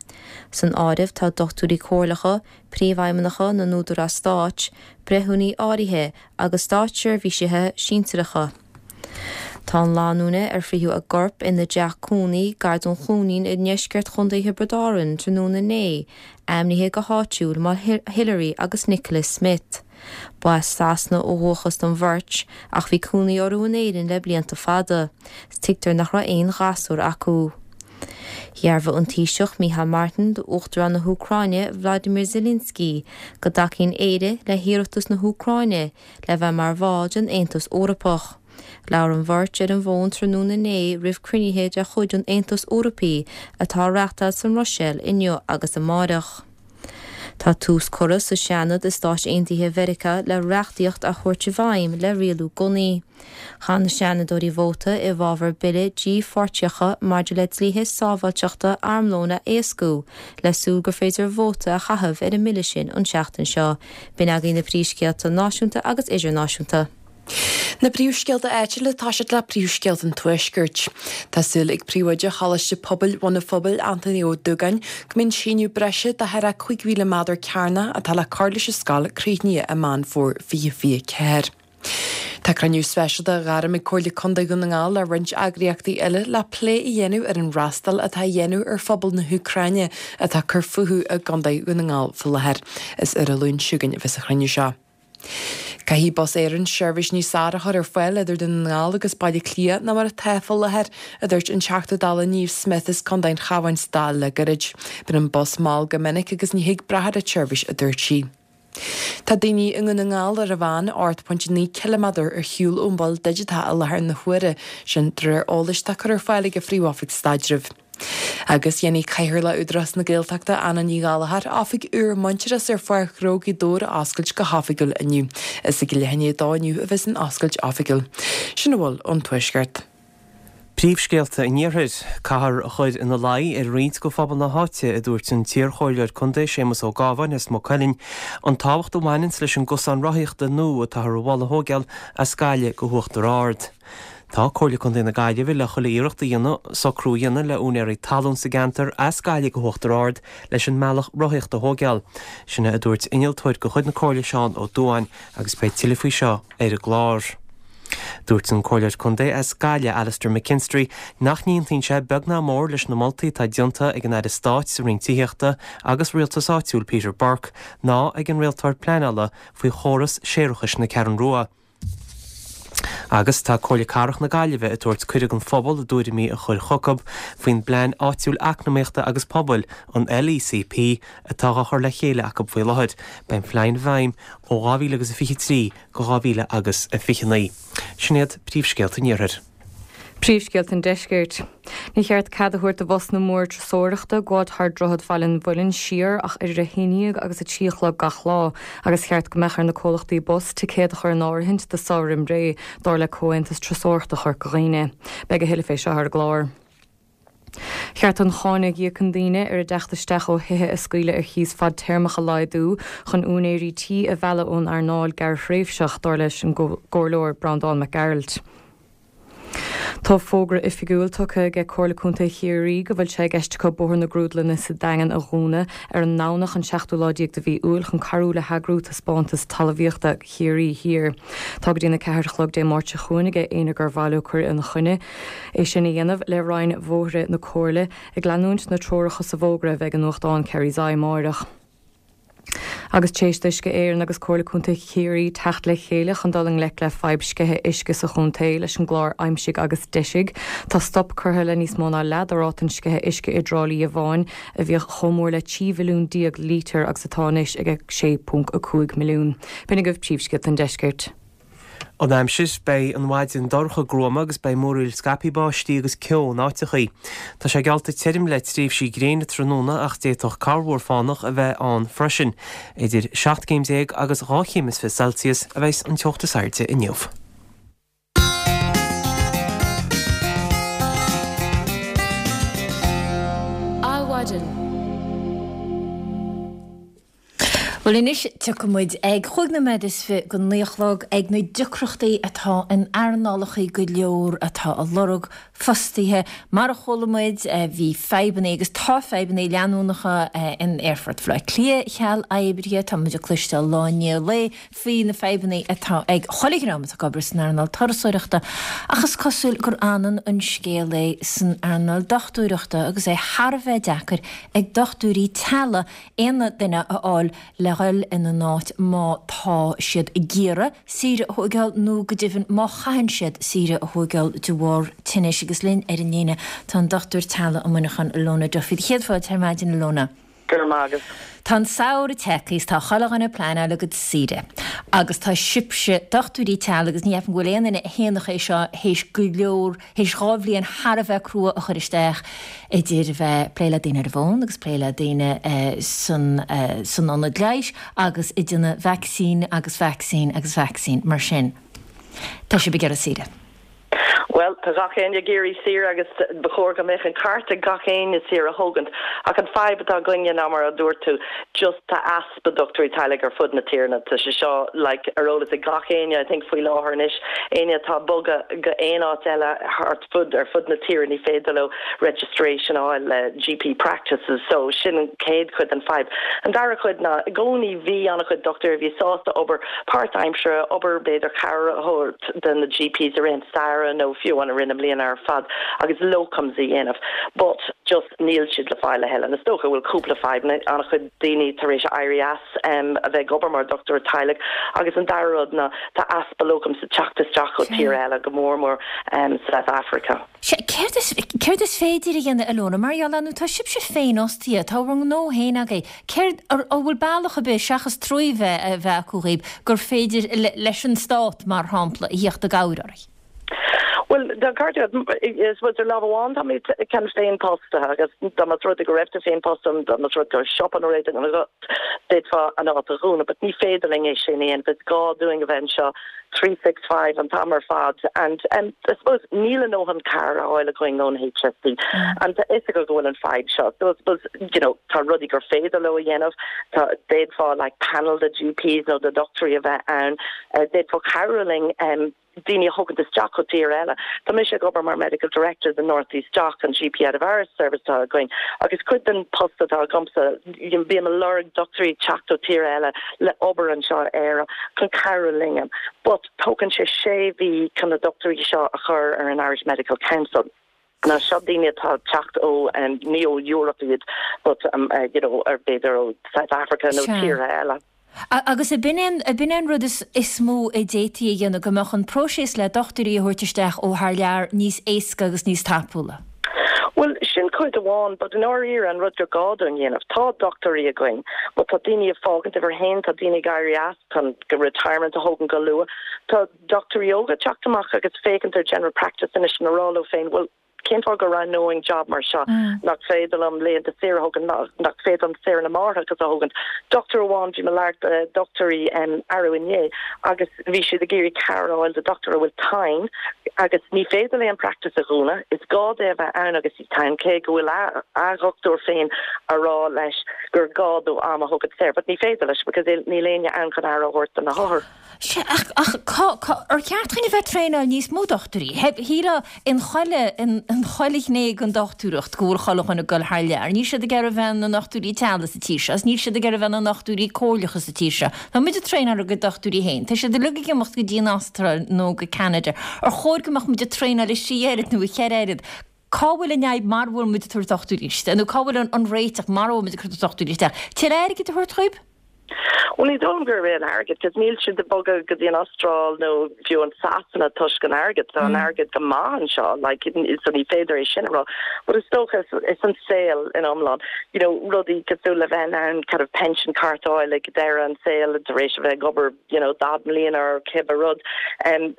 San áireamh tá dochtúirí comhairleacha, príomhfheidhmeannacha na n-údarás stáit, breithiúna áirithe agus státseirbhísithe sinsearacha. Tá an lánúin ar fritheadh a gcorp ina dteach cónaí gar don Chluainín i ndeisceart Chontae Thiobraid Árann tráthnóna inné, ainmnithe go háitiúil mar Hilary agus Nicholas Smith. Ba as Sasana ó dhúchas don bheirt, ach bhí cónaí orthu in Éirinn le blianta fada. Tuigtear nach raibh aon ghasúr acu. Dhearbhaigh an Taoiseach Micheál Martin d'Uachtarán na hÚcráine Vladimir Zelensky go dtacaíonn Éire le hiarratas na hÚcráine le bheith mar bhall den Aontas Eorpach. Labhair an bheirt ar an bhfón tráthnóna inné roimh cruinnithe de chuid an Aontais Eorpaigh atá á reáchtáil sa mBruiséil inniu agus amárach. Tá tús curtha sa Seanad i Stáit Aontaithe Mheiriceá le reachtaíocht a thabhairt i bhfeidhm le rialú gunnaí. Chaith na Seanadóirí vóta i bhfabhar bille dípháirteacha maidir le dlíthe sábháilteachta armlóin a éascú, le súil gur féidir vóta a chaitheamh ar an mbille sin an tseachtain seo. B'in agaibh na príomhscéalta náisiúnta agus idirnáisiúnta.
Na príomhscéalta áitiúla ag toiseacht le príomhscéalta an Tuaiscirt. Tá súil ag Príomhoide Choláiste Pobail Bhun an Phobail, Anthony Ó Dúgáin, go mbeidh an síneadh breise de thar a cúig mhíle méadar cearnach atá le cur leis an scoil críochnaithe i Meán Fómhair fiche fiche ceathair. Tá cruinniú speisialta á ghairm ag Comhairle Contae Dhún na nGall le roinnt eagraíochtaí eile le plé a dhéanamh ar an fhreastal atá á dhéanamh ar phobal na hÚcráine atá ag cur fúthu i gContae Dhún na nGall faoi láthair. Is ar an Luan seo chugainn a bheas an chruinniú seo. Caithfidh Bus Éireann seirbhís níos fearr a chur ar fáil idir Dún na nGall agus Baile Átha Cliath ná mar atá faoi láthair, a dúirt an Teachta Dála Niamh Smyth as Contae an Chabháin sa Dáil le gairid. Bíonn an bus mall go minic agus ní thig brath ar an tseirbhís, a dúirt sí. Tá daoine i nDún na nGall ar a mheán ocht pointe naoi ciliméadar ar shiúl ón mhol digiteach i láthair na huaire, sin de réir eolais atá curtha ar fáil ag an Phríomh-Oifig Staidrimh. Agus dhéanfaidh Cathaoirleach Údarás na Gaeltachta, Anna Ní Ghallchóir, oifig úr Muintearas ar Pháirc Ghnó Ghaoth Dobhair a oscailt go hoifigiúil inniu. Is ag leath i ndiaidh a dó inniu a bheas an oscailt oifigiúil. Sin a bhfuil ón Tuaisceart.
Príomhscéalta an Iarthair, Caithfear a chur ina luí ar roinnt de phobal na háite, a dúirt an t-iarchomhairleoir contae Séamus Ó Gábháin as Maigh Cuilinn, an tábhacht a bhaineanns leis an gcosán rothaíochta nua atáthar a mholadh a thógáil as Gaillimh go hUachtar Ard. Tá Comhairle Contae na Gaillimhe le chuile iarracht a dhéanamh socrú a dhéanamh le úinéirí talún sa gceantar as Gaillimh go hUachtar Ard leis an mbealach rothaíochta a thógáil. Sin é a dúirt innealtóir de chuid na Comhairle Seán Ó Dubháin agus beidh tuilleadh faoi seo ar an gclár. Dúirt an Comhairleoir Contae as Gaillimh Alastair McKinstry nach n-aontaíonn sé beag ná mór leis na moltaí atá déanta ag an Aire Stáit sa Roinn Tithíochta agus Rialtais Áitiúil Peter Burke ná ag an Rialtóir Pleanála faoi chóras séarachais na Ceathrún Rua. Agus tá Comhairle Cathrach na Gaillimhe ag tabhairt cuireadh don phobal a dtuairimí a chur chucu faoin bPlean Áitiúil Eacnamaíochta agus Pobail, an LECP, atá á chur le chéile acu faoi láthair. Beidh an phlean i bhfeidhm ó dhá mhíle agus a fiche trí go dhá mhíle agus a fiche naoi. Sin iad príomhscéalta an Iarthair.
Príomhscéalta an Deiscirt. Ní cheart cead a thabhairt do bhusanna móra turasóireachta gabháil thar Droichead Bhaile an Mhuilinn siar ach idir a haon déag agus a trí a chlog gach lá, agus cheart go mbeadh ar na comhlachtaí bus ticéad a chur in áirithint do sár roimh ré, dar le Comhaontas Turasóireachta Chorca Dhuibhne. Beidh a thuilleadh fé seo ar an gclár. Cheart an cháin a íocann daoine ar a dteacht isteach ó thithe a scaoileadh ar chíos fadtéarmach a laghdú chun úinéirí tí a mhealladh ón earnáil gearrthréimhseach, dar leis an gComhairleoir Breandán Mac Gearailt. Tá fógra oifigiúil tugtha aige Comhairle Contae Chiarraí go bhfuil sé i gceist acu Bóthar na Grúdlainne sa Daingean a dhúnadh ar an nDomhnach an seachtú lá déag de mhí Iúil chun cabhrú le heagrú taispeántas talmhaíochta Chiarraí Thiar. Tá go dtí an a ceathair a chlog Dé Máirt seo chugainn aige éinne gur mhaith leo cur ina choinne é sin a dhéanamh le Roinn Bhóithre na Comhairle ag leanúint na treoracha sa bhfógra a bheidh i nuachtán Kerry's Eye amáireach. Agus tar éis d'Uisce Éireann agus Comhairle Contae Chiarraí teacht le chéile chun dul i ngleic le fadhb sceitheadh uisce sa chontae leis an gclár Aimsigh agus Deisigh, tá stop curtha le níos mó ná leath de ráta an sceitheadh uisce i dTrá Lí amháin, a bhíodh chomh mór le trí mhilliún déag lítear agus atá anois ag a sé ponc a cúig milliún. B'in agaibh príomhscéalta an deiscirt.
An aimsir, Beidh an mhaidin dorcha gruama agus beidh múraíl scaipthe báistí agus ceo in áiteachaí. Tá sé geallta tirim le tréimhsí gréine tráthnóna ach d'fhéadfadh corrmhúr fánach a bheith ann freisin. Idir seacht gcéim déag agus dhá chéim is fiche Celsius a bheas an teocht is airde inniu.
Adhmhaidin. Bhuel anois tiocfaidh muid ag chúig nóiméad is fiche go naoi a chlog ag na deacrachtaí atá in earnálacha go leor atá ag lorg fostaithe. Mar a chuala muid bhí fadhbanna agus tá fadhbanna leanúnacha in Aerfort Bhaile Átha Cliath cheal oibrithe. Tá muid ag cloisteáil lá i ndiaidh lae faoi na fadhbanna atá ag chuile dhream atá ag obair san earnáil turasóireachta ach is cosúil gur ionann an scéal é san earnáil dochtúireachta agus é thar a bheith deacair ag dochtúirí teaghlaigh aon duine a fháil le dhul ina n-áit má tá siad ag iarraidh saoire a thóigeáil nó go deimhin má chaitheann siad saoire a thóigeáil de bharr tinnis agus linn ar an líne tá an dochtúir teaghlaigh i Muineachán Ilona Duffy. Céad fáilte ar maidin Ilona.
Go raibh maith agat.
Tá an samhradh tagtha is tá chuile dhuine ag pleanáil a gcuid saoire agus tá sibhse, dochtúirí teaghlaigh, agus ní cheapaim go bhfuil aon duine a shéanfadh é seo, théis go leor, théis dhá bhliain thar a bheith crua a chur isteach idir a bheith ag plé le daoine ar an bhfón agus plé le daoine san san ionad leighis agus ag déanamh vacsaín agus vacsaín agus vacsaín mar sin. Tá sibh ag iarraidh saoire.
Bhuel, tá gach éinne ag iarraidh saoire agus ba chóir go mbeadh an ceart ag gach éinne saoire a thógaint. Ach an fadhb atá againne ná mar a dúirt tú, just tá easpa dochtúirí teaghlaigh ar fud na tíre. Tá sé seo like ar eolas ag gach éinne I think faoi láthair anois. Éinne atá ag bogadh go aon áit eile thart fud ar fud na tíre ní féidir leo registration a fháil le GP practices. So sin an chéad chuid den fadhb. An dara cuid ná i gcónaí bhí an-chuid dochtúirí a bhí sásta obair páirtaimseartha, obair b'fhéidir cabhair a thabhairt do na GPs i rith an samhradh nó fiú amháin i rith na mbliana ar fad agus locums a dhéanamh but just níl siad le fáil a thuilleadh. And is dócha go bhfuil cúpla fadhbanna, an-chuid daoine tar éis éirí as a bheith ag obair mar dhochtúir teaghlaigh agus an dara rud ná tá easpa locums ag teacht isteach ó tíortha eile, go mór mór South Africa.
Sea, céard is, céard is féidir a dhéanamh, Ilona, mar gheall ar, nó tá sibhse féinfhostaithe, tá bhur ngnó féin agaibh, céard, an bhfuil bealach ar bith, seachas trua a bheith acu dhaoib, gur féidir leis an stát, mar shampla, a thíocht i gcabhair oraibh?
Bhuel, tá ceart agat, I suppose ar lámh amháin táimid kind of féinfhostaithe agus dá mba rud é go raibh tú féinfhostaithe, dá mba rud go raibh siopa nó rud éigin agat, d'fhéadfá an áit a dhúnadh, but ní féidir linn é sin a dhéanamh, is gá dúinn a bheith anseo three six five an t-am ar fad and um, I suppose níl a ndóthain cabhair á fháil againn ón HSE and tá fhios acu go bhfuil an fadhb seo. So I suppose, you know, tá rudaí gur féidir leo a dhéanamh, tá d'fhéadfá like panel de GPs nó de dochtúirí a bheith ann, uh, d'fhéadfá cabhrú linn um, daoine a thógaint isteach ó tír eile. Tá mise ag obair mar Medical Director the North East DOC an GP out of Hours service atá againn agus cuid den post atá agamsa bím ag lorg dochtúirí teacht ó tír eile le obair anseo in Éire chun cabhrú linn. But tógann sé sé mhí chun na dochtúirí seo a chur ar an Irish Medical Council. Now seo daoine atá ag teacht ó ní ó Europe iad but you know ar b'fhéidir ó South Africa nó tíortha eile.
Agus ab in é ab in é an rud is is mó a d'fhéadfaí a dhéanamh, go mbeadh an próiseas le dochtúirí a thabhairt isteach ó thar lear níos éasca agus níos tapúla?
Bhuel, sin cuid amháin, but i ndáiríre an rud gur gá dúinn dhéanamh, tá dochtúirí againn, but tá daoine ag fágaint uimhir a haon, tá daoine ag éirí as chun go retirement a thógaint go luath, tá dochtúirí óga ag teacht amach agus féachaint ar general practice anois ina rá leo féin, bhuel, cén fáth go roghnóinn job mar seo, nach féidir liom laethanta saoire a thógaint, nach féidir liom saoire na máithreachais a thógaint. Dochtúir amháin, bhí mé ag labhairt le dochtúirí arú inné agus bhí siad ag iarraidh cabhair a fháil do dochtúir a bhfuil tinn agus ní féidir léi an practice a dhúnadh, is gá di a bheith ann agus í tinn, cé go bhfuil a dhochtúir féin a rá leis gur gá dó am a thógaint saor, but ní féidir leis because níl éinne ann chun aire a thabhairt do na hothair.
Sea, ach, ach cá, cá, ar cheart chuinn a bheith ag traenáil níos mó dochtúirí? Shílfeá in chuile, in, in chuile ghné den dochtúireacht go bhfuil chuile dhuine ag dul thar lear. Níl siad ag iarraidh a bheith ina ndochtúirí teaghlaigh sa tír seo, is níl siad ag iarraidh a bheith ina ndochtúirí comhairleacha sa tír seo. Tá muid ag traenáil ár gcuid dochtúirí féin. Tá siad uilig ag imeacht go dtí an Astráil nó go Ceanada. Ar chóir go mbeadh muid ag traenáil a trí oiread nó a cheithre oiread? Cá bhfuil an fhadhb mara bhfuil muid ag tabhairt dochtúirí isteach? Nó cá bhfuil an réiteach mara bhfuil muid ag cur dochtúirí isteach? Tuilleadh airgid a thabhairt dhóibh?
Bhuel ní dóigh liom gurb é an airgead, cos níl siad ag bogadh go dtí an Astráil nó fiú an Sasana toisc an airgead, tá an airgead go maith anseo, like, so ní féidir é sin a rá. But is dócha is an saol in iomlán, you know, rudaí cosúil le bheith in ann kind of pension card a fháil ag deireadh an saol tar éis a bheith ag obair, you know, daichead mbliana or cibé rud, um,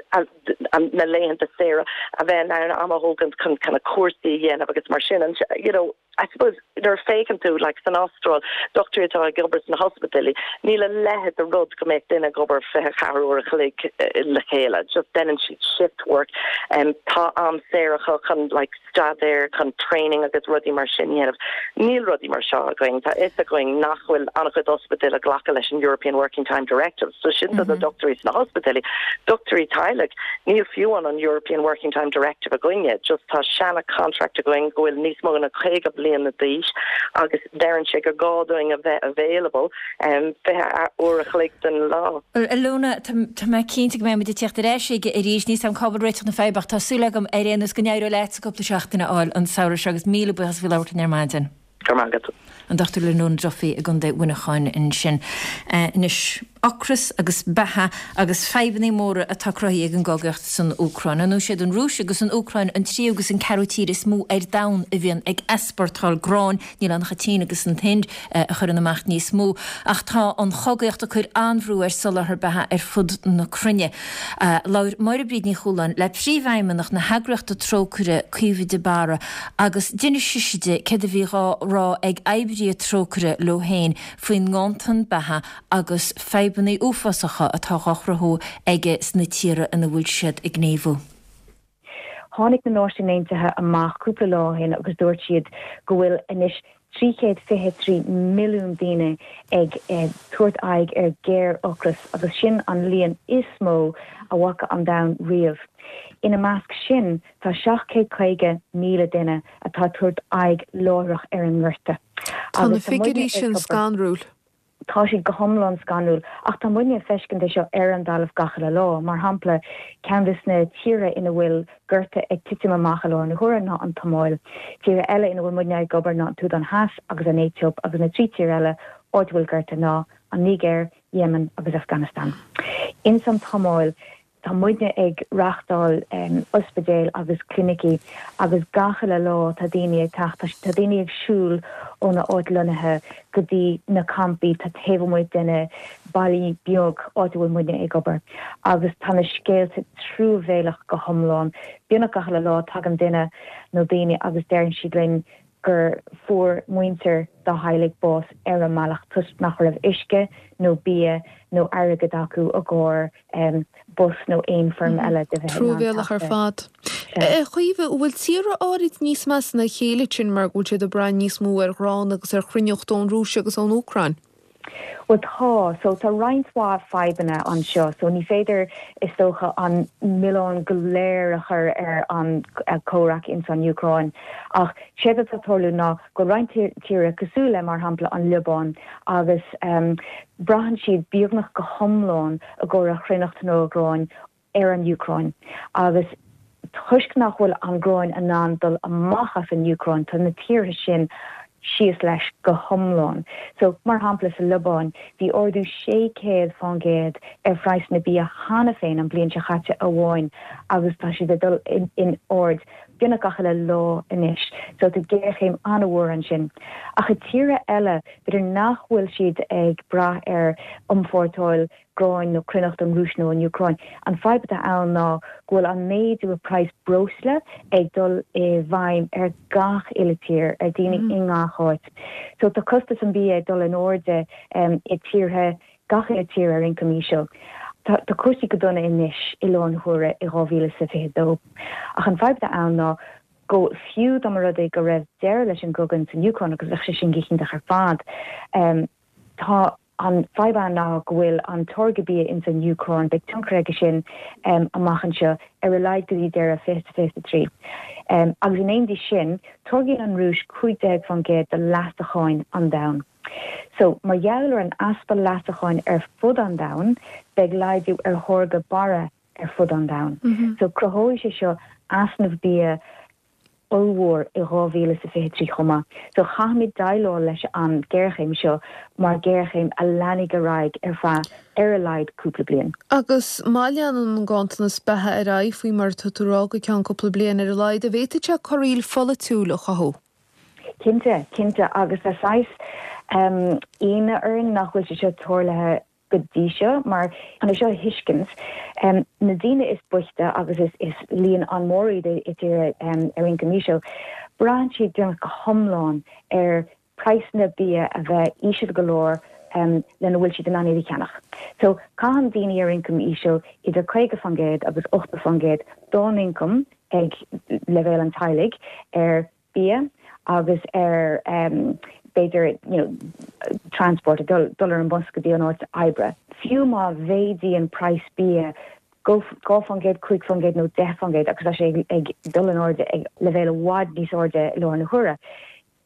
na laethanta saoire, a bheith in ann am a thógaint chun kind of cúrsaí a dhéanamh agus mar sin. And, you know, I suppose nuair a féachann tú like san Astráil, dochtúirí atá ag obair sna hospidéil, níl a leithéid de rud go mbeadh duine ag obair fiche ceathair uair a chloig le chéile, just déanann siad shift work. Um, tá am saor acu chun like staidéar, chun training agus rudaí mar sin a dhéanamh. Níl rudaí mar seo againn, tá fhios againn nach bhfuil an-chuid ospidéal ag glacadh leis an European Working Time Directive, so sin do na dochtúirí sna hospidéil. Dochtúirí teaghlaigh, níl fiú an an European Working Time Directive againne, just tá seana contract againn go bhfuil níos mó ná caoga bliana d'aois agus deireann sé gur gá dúinn a bheith available um, fiche uair a chloig den lá.
Alona, tá mé cinnte go mbeidh muid ag teacht ar ais aige arís, níl a fhios agam cá bhfuil réiteach na faidhbe ach tá súil agam ar aon nós go n-éireoidh leat sa cúpla seachtain a fháil an samhradh seo agus míle buíochas faoi labhairt linn ar maidin.
Go raibh maith agat.
An Dochtúir Lenona Duffy i gContae Mhuineacháin ansin. Anois, ocras agus beatha agus fadhbanna móra atá cruthaithe ag an gcogaíocht san Úcráin. Ar ndóigh siad an Rúis agus an Úcráin an tríú agus an ceathrú tír is mó ar domhan a bhíonn ag easpórtáil gráin. Níl ann ach an tSín agus an tInd a chuireann amach níos mó. Ach tá an chogaíocht ag cur an-bhrú ar soláthar beatha ar fud na cruinne. Labhair Máire Bríd Ní Chualáin le príomhfheidhmeannach na heagraíochta Trócaire, Caoimhe de Barra, agus d'inis sise di céard a bhí dhá rá ag oibrithe Trócaire leo féin faoin nganntan beatha agus fadhbanna uafásacha atá dhá chruthú aige sna tíortha ina bhfuil siad ag gníomhú.
Tháinig na Náisiúin Aontaithe amach cúpla lá ó shin agus dúirt siad go bhfuil anois trí chéad fiche trí milliún daoine ag tabhairt aghaidh ar ghéar-ocras agus sin an líon is mó a bhfaca an domhan riamh. Ina measc sin tá seacht chéad caoga míle duine atá ag tabhairt aghaidh láithreach ar an ngorta.
Tá na figiúirí sin scanrúil.
Tá siad go hiomlán scanrúil, ach tá muidne ag feiscint é seo ar an dtalamh gach uile lá. Mar shampla, ceann de na tíortha ina bhfuil gorta ag titim amach i láthair na huaire ná an tSomáil. Tíortha eile ina bhfuil muidne ag obair ná an tSúdáin Theas agus an Aetóip agus na trí tír eile áit a bhfuil gorta ná an Nigéir, Yemen agus Afghanistan. Ins an tSomáil, tá muidne ag reáchtáil ospidéil agus clinicí agus gach uile lá tá daoine ag teacht, tá daoine ag siúl óna áit lonnaithe go dtí na campaí tá taobh amuigh de na bailí beag áit a bhfuil muidne ag obair agus tá na scéalta truamhéalach go hiomlán. Beagnach gach uile lá tagann duine nó daoine agus deireann siad linn gur fuair muintir dá theaghlaigh bás ar an mbealach toisc nach raibh uisce nó bia nó airgead acu i gcomhair bus nó aon foirm eile de bheith in ann
Truamhéalach ar
teacht
fad. A Chaoimhe, an bhfuil tíortha áirid níos measa ná a chéile sin mar go bhfuil siad ag brath níos mó ar ghrán agus ar chruithneacht ón Rúis agus ón Úcráin?
Bhuel tá, so tá roinnt mhaith fadhbanna anseo, so ní féidir is dócha an milleán go léir a chur ar an comhrac ins an Úcráin ach séard atá ag tarlú ná go roinnt tíortha cosúil le mar shampla an Liobáin agus braitheann siad beagnach go hiomlán i gcomhair a chruithneacht nó a ghráin ar an Úcráin agus toisc nach bhfuil an gráin in ann dul amach as an Úcráin tá na tíortha sin síos leis go hiomlán. So, mar shampla sa Liobáin, bhí ardú sé chéad fán gcéad ar phraghsanna bia cheana féin an bhliain seo caite amháin agus tá siad ag dul in airde beagnach gach uile lá anois. So tá géarchéim an-mhór ansin. Ach i tíortha eile, b'fhéidir nach bhfuil siad ag brath ar iompórtáil gráin nó cruithneacht ón Rúis nó ón Úcráin. An fadhb atá ann ná go bhfuil an méadú i praghas breosla ag dul i bhfeidhm ar gach uile tír, ar daoine i ngach áit. So tá costas an bia ag dul in airde i tíortha, gach uile tír ar ioncam íseal. Tá tá cúrsaí go dona anois i láthair na huaire i dhá mhíle is a fiche dó. Ach an fadhb atá ann ná go fiú dá mba rud é go raibh deireadh leis an gcogadh san Úcráin agus bheadh sé sin go hiontach ar fad, tá an fadhb ann ná go bhfuil an táirgeadh bia ins an Úcráin, beidh tionchar aige sin amach anseo ar a laghad go dtí deireadh fiche is fiche a trí. Agus in éindí sin, táirgíonn an Rúis cúig déag faoin gcéad de leasacháin an domhain. So, mar gheall ar an easpa leasacháin ar fud an domhain, beidh laghdú ar tháirgeadh barra ar fud an domhain. So, cruthóidh sé seo easnamh bia ollmhór i dhá mhíle is a fiche trí chomh maith. So chaithfimid déileáil leis an ghéarchéim seo mar ghéarchéim a leanfaidh ar aghaidh ar feadh ar a laghad cúpla bliain.
Agus má leanann an ganntanas beatha ar aghaidh faoi mar atá tú a rá go ceann cúpla bliain ar a laghad, an bhféadfadh sé corraíl pholaitiúil a chothú?
Cinnte, cinnte. Agus tá saghas ionadh orainn nach bhfuil sé seo tarlaithe go dtí seo, mar chun é seo a thuiscint, na daoine is boichte, agus is líon an-mhór iad i dtíortha ar ioncam íseal, braitheann siad beagnach go hiomlán ar praghsanna bia a bheith íseal go leor lena bhfuil siad in ann iad a cheannach. So, caitheann daoine ar ioncam íseal idir caoga faoin gcéad agus ochtó faoin gcéad dá n-ioncam ag leibhéal an teaghlaigh ar bia agus ar b'fhéidir you know transport, dul dul ar an bus go dtí an áit oibre. Fiú má mhéadaíonn praghas bia dhá faoin gcéad, cúig faoin gcéad nó deich faoin gcéad agus tá sé ag dul in airde ag leibhéal i bhfad níos airde i láthair na huaire,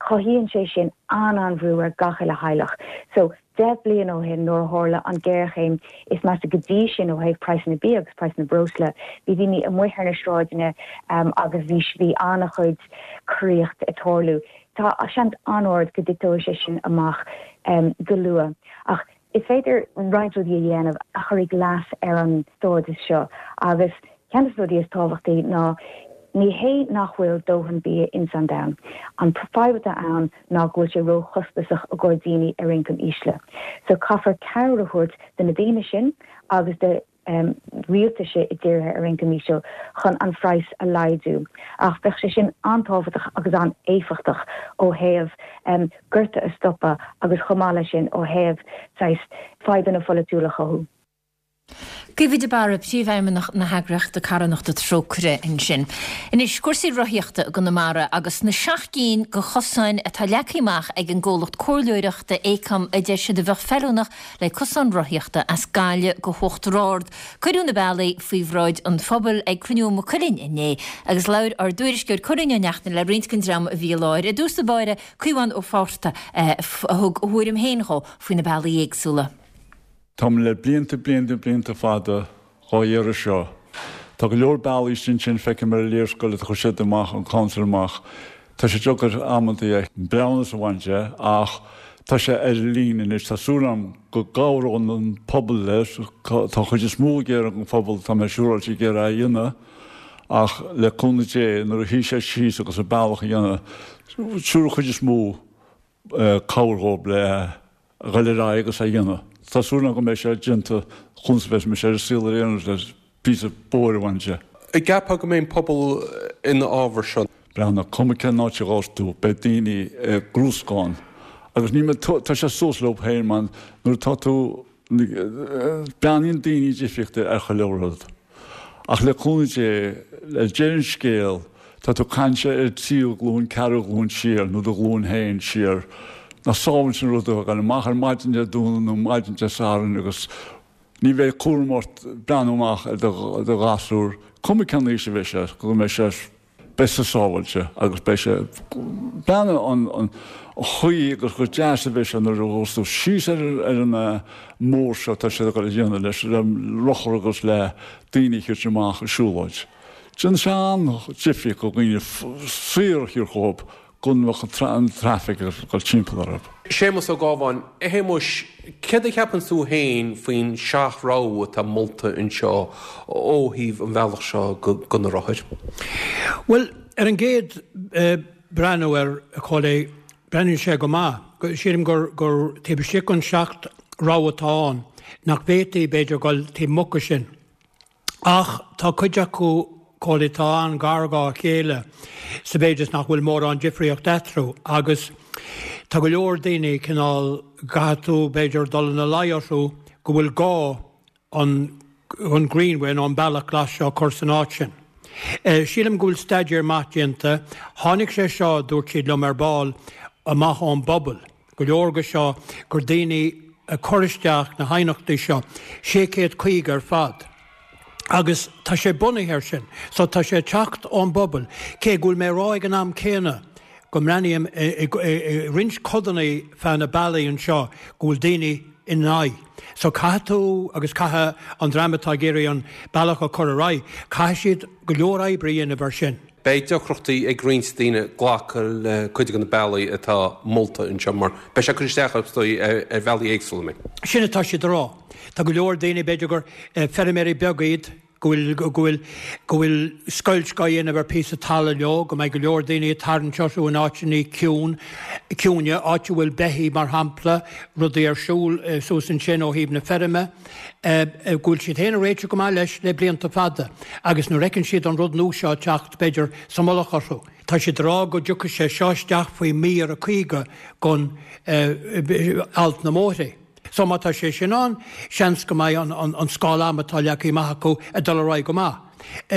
cothaíonn sé sin an-an-bhrú ar gach uile theaghlach. So, deich bliain ó shin nuair a tharla an ghéarchéim is measa go dtí sin ó thaobh praghsanna bia agus praghsanna breosla, bhí daoine amuigh ar na sráideanna agus bhí bhí an-chuid coraíocht ag tarlú. Tá seans an-ard go dtiteoidh sé sin amach go luath. Ach is féidir roinnt rudaí a dhéanamh a chuirfidh leas ar an stádas seo agus ceann de na rudaí is tábhachtaí ná ní hé nach bhfuil dóthain bia ins an domhan, an fadhb atá ann ná go bhfuil sé ró-chostasach i gcomhair daoine ar ioncam ísle. So caithfear cabhair a thabhairt do na daoine sin agus do rialtais i dtíortha ar ioncam íseal chun an phraghas a laghdú. Ach bheadh sé sin an-tábhachtach agus an-éifeachtach ó thaobh gorta a stopadh agus chomh maith leis sin ó thaobh saghas fadhbanna pholaitiúla a chothú.
Caoimhe de Barra, Príomhfheidhmeannach na heagraíochta carthanachta Trócaire ansin. Anois, cúrsaí rothaíochta i gConamara agus na seacht gcinn de chosáin atá leagtha amach ag an gcomhlacht comhairleoireachta Aecom a deir siad a bheadh feiliúnach le cosán rothaíochta as Gaillimh go hUachtar Ard. Cuireadh na bealaí faoi bhráid an phobail ag cruinniú i Maigh Cuilinn inné agus labhair ár dtuairisceoir Cóilín Ó Neachtain le roinnt den dream a bhí i láthair. I dtús báire, Caomhán Ó Fátharta a thug a thuairim féin dhó faoi na bealaí éagsúla.
Táim le blianta, blianta, blianta fada dhá iarraidh seo. Tá go leor bealaí sin sin feicim ar an léarscáil a chuir siad amach, an council amach. Tá sé deacair amantaí an breithiúnas a bhaint de ach tá sé ar an líne anois. Tá súil agam go gcabhróidh an pobal leis. Tá an chuid is mó ag iarraidh an phobal, tá mé siúráilte ag iarraidh é a dhéanamh ach le cúnamh Dé nuair a shuí sé síos agus an bealach a dhéanamh, siúr an chuid is mó cabhair dhóibh le a dhul ar aghaidh agus é a dhéanamh. Tá súil agam go mbeidh sé déanta conas a bheas mise ar an saol ar aon nós le píosa bóthair a bhaint de.
An gceapfá go mbeidh an pobal ina fhábhar seo?
Breathnaigh, cuma cén áit a ghabhfas tú, beidh daoine ag grúscán agus ní tá sé suas leo féin man nuair atá tú breathnaíonn daoine difríochta ar chuile rud. Ach le cúnamh Dé, le deireadh an scéil, tá tú ag caint ar tríú glúin, ceathrú glúin siar, nó do ghlúin féin siar, nach sábháilte an rud a ghabháil amach ar maidin Dé Domhnaigh nó maidin Dé Sathairn agus ní bheidh cúram ort breathnú amach ar do ghasúr, cuma cén aois a bheidh sé, go mbeidh sé beidh sé sábháilte agus beidh sé breathnaigh an an chaoi agus chomh deas a bheidh sé nuair a ghabhfas tú síos ar ar an mbóthar seo atá siad ag dul a dhéanamh leis le rothar agus le daoine a thabhairt amach ag siúlóid. Déanann sé an-difríocht do dhaoine saor a thabhairt chucu go mbeadh an traffic ag dul timpeall orthu.
Séamus Ó Gábháin, A Shéamuis, céard a cheapann tú féin faoin seacht rogha atá molta anseo ó thaobh an bhealach seo go na rothair?
Bhuel, ar an gcéad breathnú air, a Chóilí, breathnaíonn sé go maith. Sílim gur gur taobh istigh den seacht rogha atá ann, nach bhféadfaí, b'fhéidir, dul taobh amuigh de sin. Ach tá cuid acu, Cóilí, atá an-ghar dhá chéile sa mhéid is nach bhfuil mórán difríocht eatarthu agus tá go leor daoine cineál, gcaithfidh tú, b'fhéidir, dul ina luí orthu go bhfuil gá an an Greenway nó an bealach glas seo a chur san áit sin. Sílim go bhfuil staidéar maith déanta. Tháinig sé seo, dúirt siad liom ar ball, amach ón bpobal. Go leor de seo gur daoine a chuir isteach na haighneachtaí seo, sé chéad caoga ar fad. Agus tá sé bunaithe air sin. So tá sé ag teacht ón bpobal. Cé go bhfuil mé ag rá ag an am céanna go mbreathnaím i roinnt codanna feadh na bealaí anseo go bhfuil daoine ina aghaidh. So caithfidh tú agus caithfidh an dream atá ag iarraidh an bealach a chur ar aghaidh, caithfidh siad go leor oibre a dhéanamh ar sin.
Beidh deacrachtaí ag roinnt daoine glacadh le cuid de na bealaí atá molta anseo mar beidh sé ag cur isteach orthu is dóigh ar bhealaí éagsúla. An mbeidh?
Sin atá siad a rá. Tá go leor daoine, b'fhéidir gur feirmeoirí beaga iad, go bhfuil, go bhfuil, go bhfuil scoilt á dhéanamh ar phíosa talaimh leo, go mbeidh go leor daoine ag tarraingt orthu in áiteanna ciúin, ciúine, áit a bhfuil beithígh mar shampla, rudaí ar siúl suas ansin ó thaobh na feirme, go bhfuil siad féin ag réiteach go maith leis le blianta fada agus nuair a fheiceann siad an rud nua seo ag teacht, b'fhéidir, sa mullach orthu. Tá siad ag rá go dtiocfaidh sé seo isteach faoi mhír a caoga den alt na mbóithre. So má tá sé sin ann, seans go mbeidh an scála ama atá leagtha amach acu ag dul ar aghaidh go maith.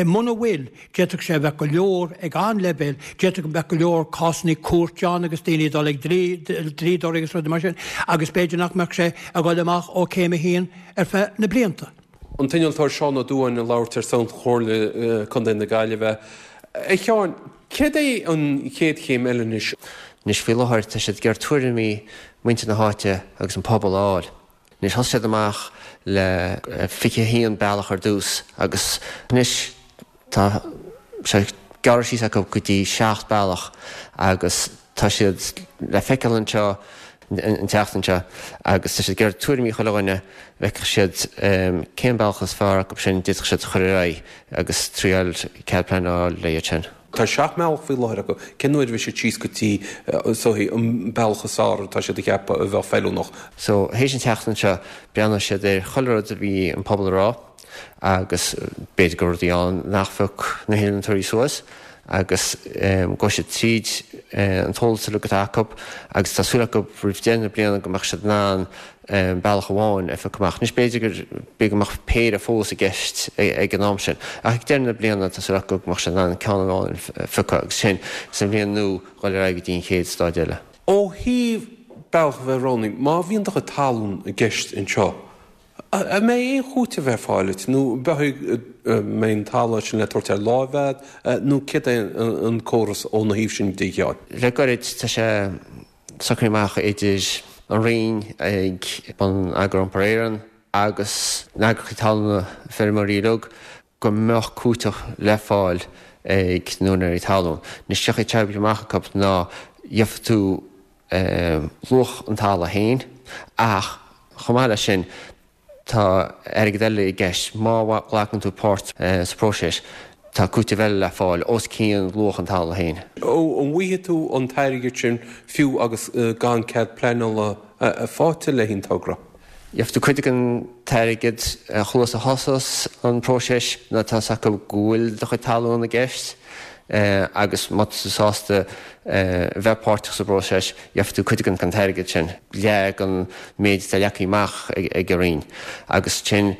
Muna bhfuil, d'fhéadfadh sé a bheith go leor ag an-leibhéal, d'fhéadfadh go mbeadh go leor cásanna cúirte ann agus daoine ag dul ag dlíodóirí agus rudaí mar sin agus b'fhéidir nach mbeadh sé ag dul amach ó céim a haon ar feadh na blianta.
An t-innealtóir Seán Ó Dubháin ag labhairt ar son Chomhairle Contae na Gaillimhe. A Sheáin, céard é an chéad chéim eile anois?
Anois faoi láthair tá siad ag iarraidh tuairimí muintir na háite agus an pobal a fháil. Anois thosaigh siad amach le fiche a haon bealach ar dtús agus anois tá sé gearrtha síos acu go dtí seacht bealach agus tá siad le feiceáil anseo an tseachtain seo agus tá siad ag iarraidh tuairimí chuile dhuine, bhfeicfeadh siad cén bealach is fearr acu sin d'fhéadfadh siad a chur ar aghaidh agus triail cead pleanála le iad sin.
Tá seacht mbealach faoi láthair acu. Cén uair a bheidh siad síos go dtí is dóichí an bealach is fearr atá siad a cheapadh a bheadh feiliúnach?
So, théis an tseachtain seo, breathnóidh siad ar chuile rud a bhí an pobal a rá agus b'fhéidir go raibh rudaí ann nach phioc na hinnealtóirí suas agus gabhfaidh siad tríd an t-eolas uilig atá acu agus tá súil acu roimh deireadh na bliana go mbeadh siad in ann bealach amháin a phiocadh amach. Anois b'fhéidir gur, b'fhéidir go mbeadh péire fós i gceist ag an am sin. Ach ag deireadh na bliana tá súil acu go mbeadh siad in ann ceann amháin a phiocadh agus sin sa bhliain nua dhul ar aghaidh go dtí an chéad stáid eile.
Ó thaobh bealach a bheith roghnaithe, má bhíonn do chuid talún i gceist anseo, an mbeidh aon chúiteamh ar fáil duit nó mbeidh an talamh sin le tabhairt ar láimh agat nó céard é an córas óna thaobh sin de, a Sheáin?
Le gairid tá sé socraithe amach idir an Roinn ag Bonneagar Iompair Éireann agus na heagraíochtaí talún feirmeoirí uilig go mbeadh cúiteamh le fáil ag na húinéirí talún. Anois an chaoi atá sé oibrithe amach acu ná gheobhaidh tú luach an talaimh féin ach chomh maith leis sin Tá airgead eile i gceist. Má ghlacann tú páirt sa phróiseas, tá cúiteamh eile le fáil os cionn luach an talaimh féin.
An bhfaighidh tú an t-airgead sin fiú agus gan cead pleanála faighte le haghaidh an togra?
Gheobhaidh tú cuid den t-airgead chomh luath is a thosós an próiseas nuair atá a fhios acu go bhfuil do chuid talún i gceist agus má tá tú sásta bheith páirteach sa bpróiseas, gheobhaidh tú cuid den t-airgead sin, leath den méid atá leagtha amach ag an Roinn, agus ansin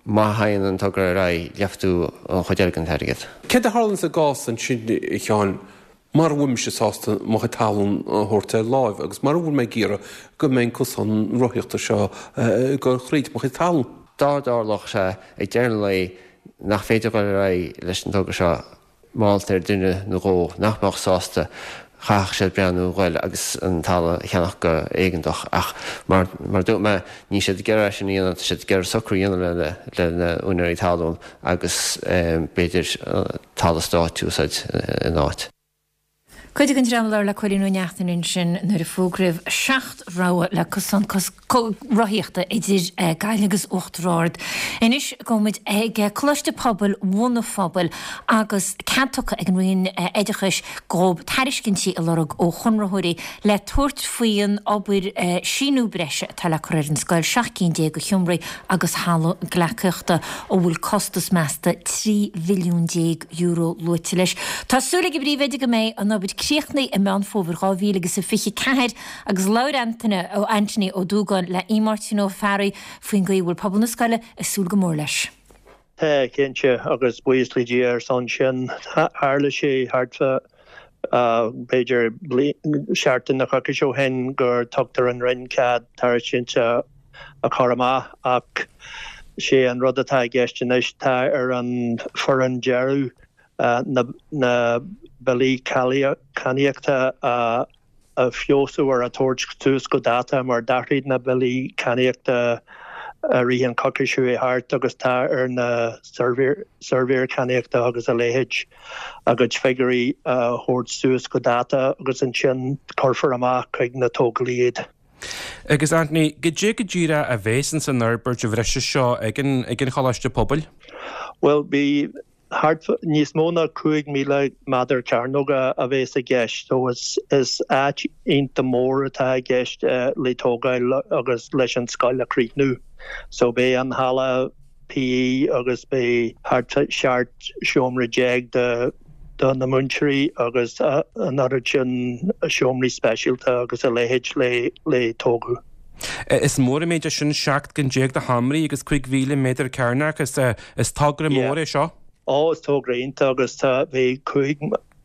má théann an togra ar aghaidh, gheobhaidh tú an chuid eile den t-airgead.
Céard a tharlaíonn sa gcás ansin, a Sheáin, mara bhfuil mise sásta mo chuid talún a thabhairt ar láimh agus mara bhfuil mé ag iarraidh go mbeidh an cosán rothaíochta seo ag dul thríd mo chuid talún?
Dá dtarlódh sé ag deireadh an lae nach féidir dul ar aghaidh leis an togra seo, mar gheall ar duine nó dhó nach mbeadh sásta, chaithfeadh siad breathnú ghoil agus an talamh a cheannach go héigeantach. Ach mar a dúirt mé, níl siad ag iarraidh é sin a dhéanamh, tá siad ag iarraidh socrú a dhéanamh le le na úinéirí talún agus b'fhéidir talamh stáit a úsáid ina áit.
Cuid den dream a labhair le Cóilín Ó Neachtain ansin nuair a fógraíodh seacht rogha le cosán rothaíochta idir Gaillimh agus Uachtar Ard. Anois gabhfaidh muid ag Coláiste Pobail Bhun an Phobail agus cead tugtha ag an Roinn Oideachais dóibh tairiscintí a lorg ó chonraitheoirí le tabhairt faoin obair síniú breise atá le cur ar an scoil, seacht gcinn déag de sheomraí agus halla gleacaíochta a bhfuil costas measta trí mhilliún déag euro luaite leis. Tá súil ag an bpríomhoide go mbeidh an obair críochnaithe i Meán Fómhair dhá mhíle agus a fiche ceathair agus labhair Antaine ó Anthony Ó Dúgáin le Máirtín Ó Fearraigh faoin gcaoi a bhfuil pobal na scoile ag súil go mór leis.
Tá, cinnte, agus buíochas le Dia ar son sin. Tharla sé thart fá b'fhéidir seachtain nó coicís ó shin gur tugtar an Roinn cead tairiscint a chur amach ach sé an rud atá i gceist anois tá ar an foireann dearaidh na billí cainníochta a feabhsú ar a tabhairt suas go dáta mar d'athraigh na billí cainníochta i rith an coicís seo chuaigh thart agus tá ar na suirbhéir cainníochta agus a leithéid a gcuid figiúirí a thabhairt suas go dáta agus ansin cuirfear amach chuig na tógálaí iad.
Agus Anthony, goidé go díreach a bheas ins an fhorbairt bhreise seo ag an Choláiste Pobail?
Bhuel, bhí thart níos mó ná cúig míle méadar cearnóg a bheas i gceist so is is áit iontach mór atá i gceist le tógáil agus leis an scoil a chríochnú. So beidh an halla PE agus beidh thart seacht seomra déag do do na múinteoirí agus an oiread sin seomraí speisialta agus a leithéid le le tógadh.
Is mór an méid é sin, seacht gcinn déag de sheomraí agus cúig mhíle méadar cearnach, is is togra mór é seo.
Ó, is togra iontach agus tá bhí cúig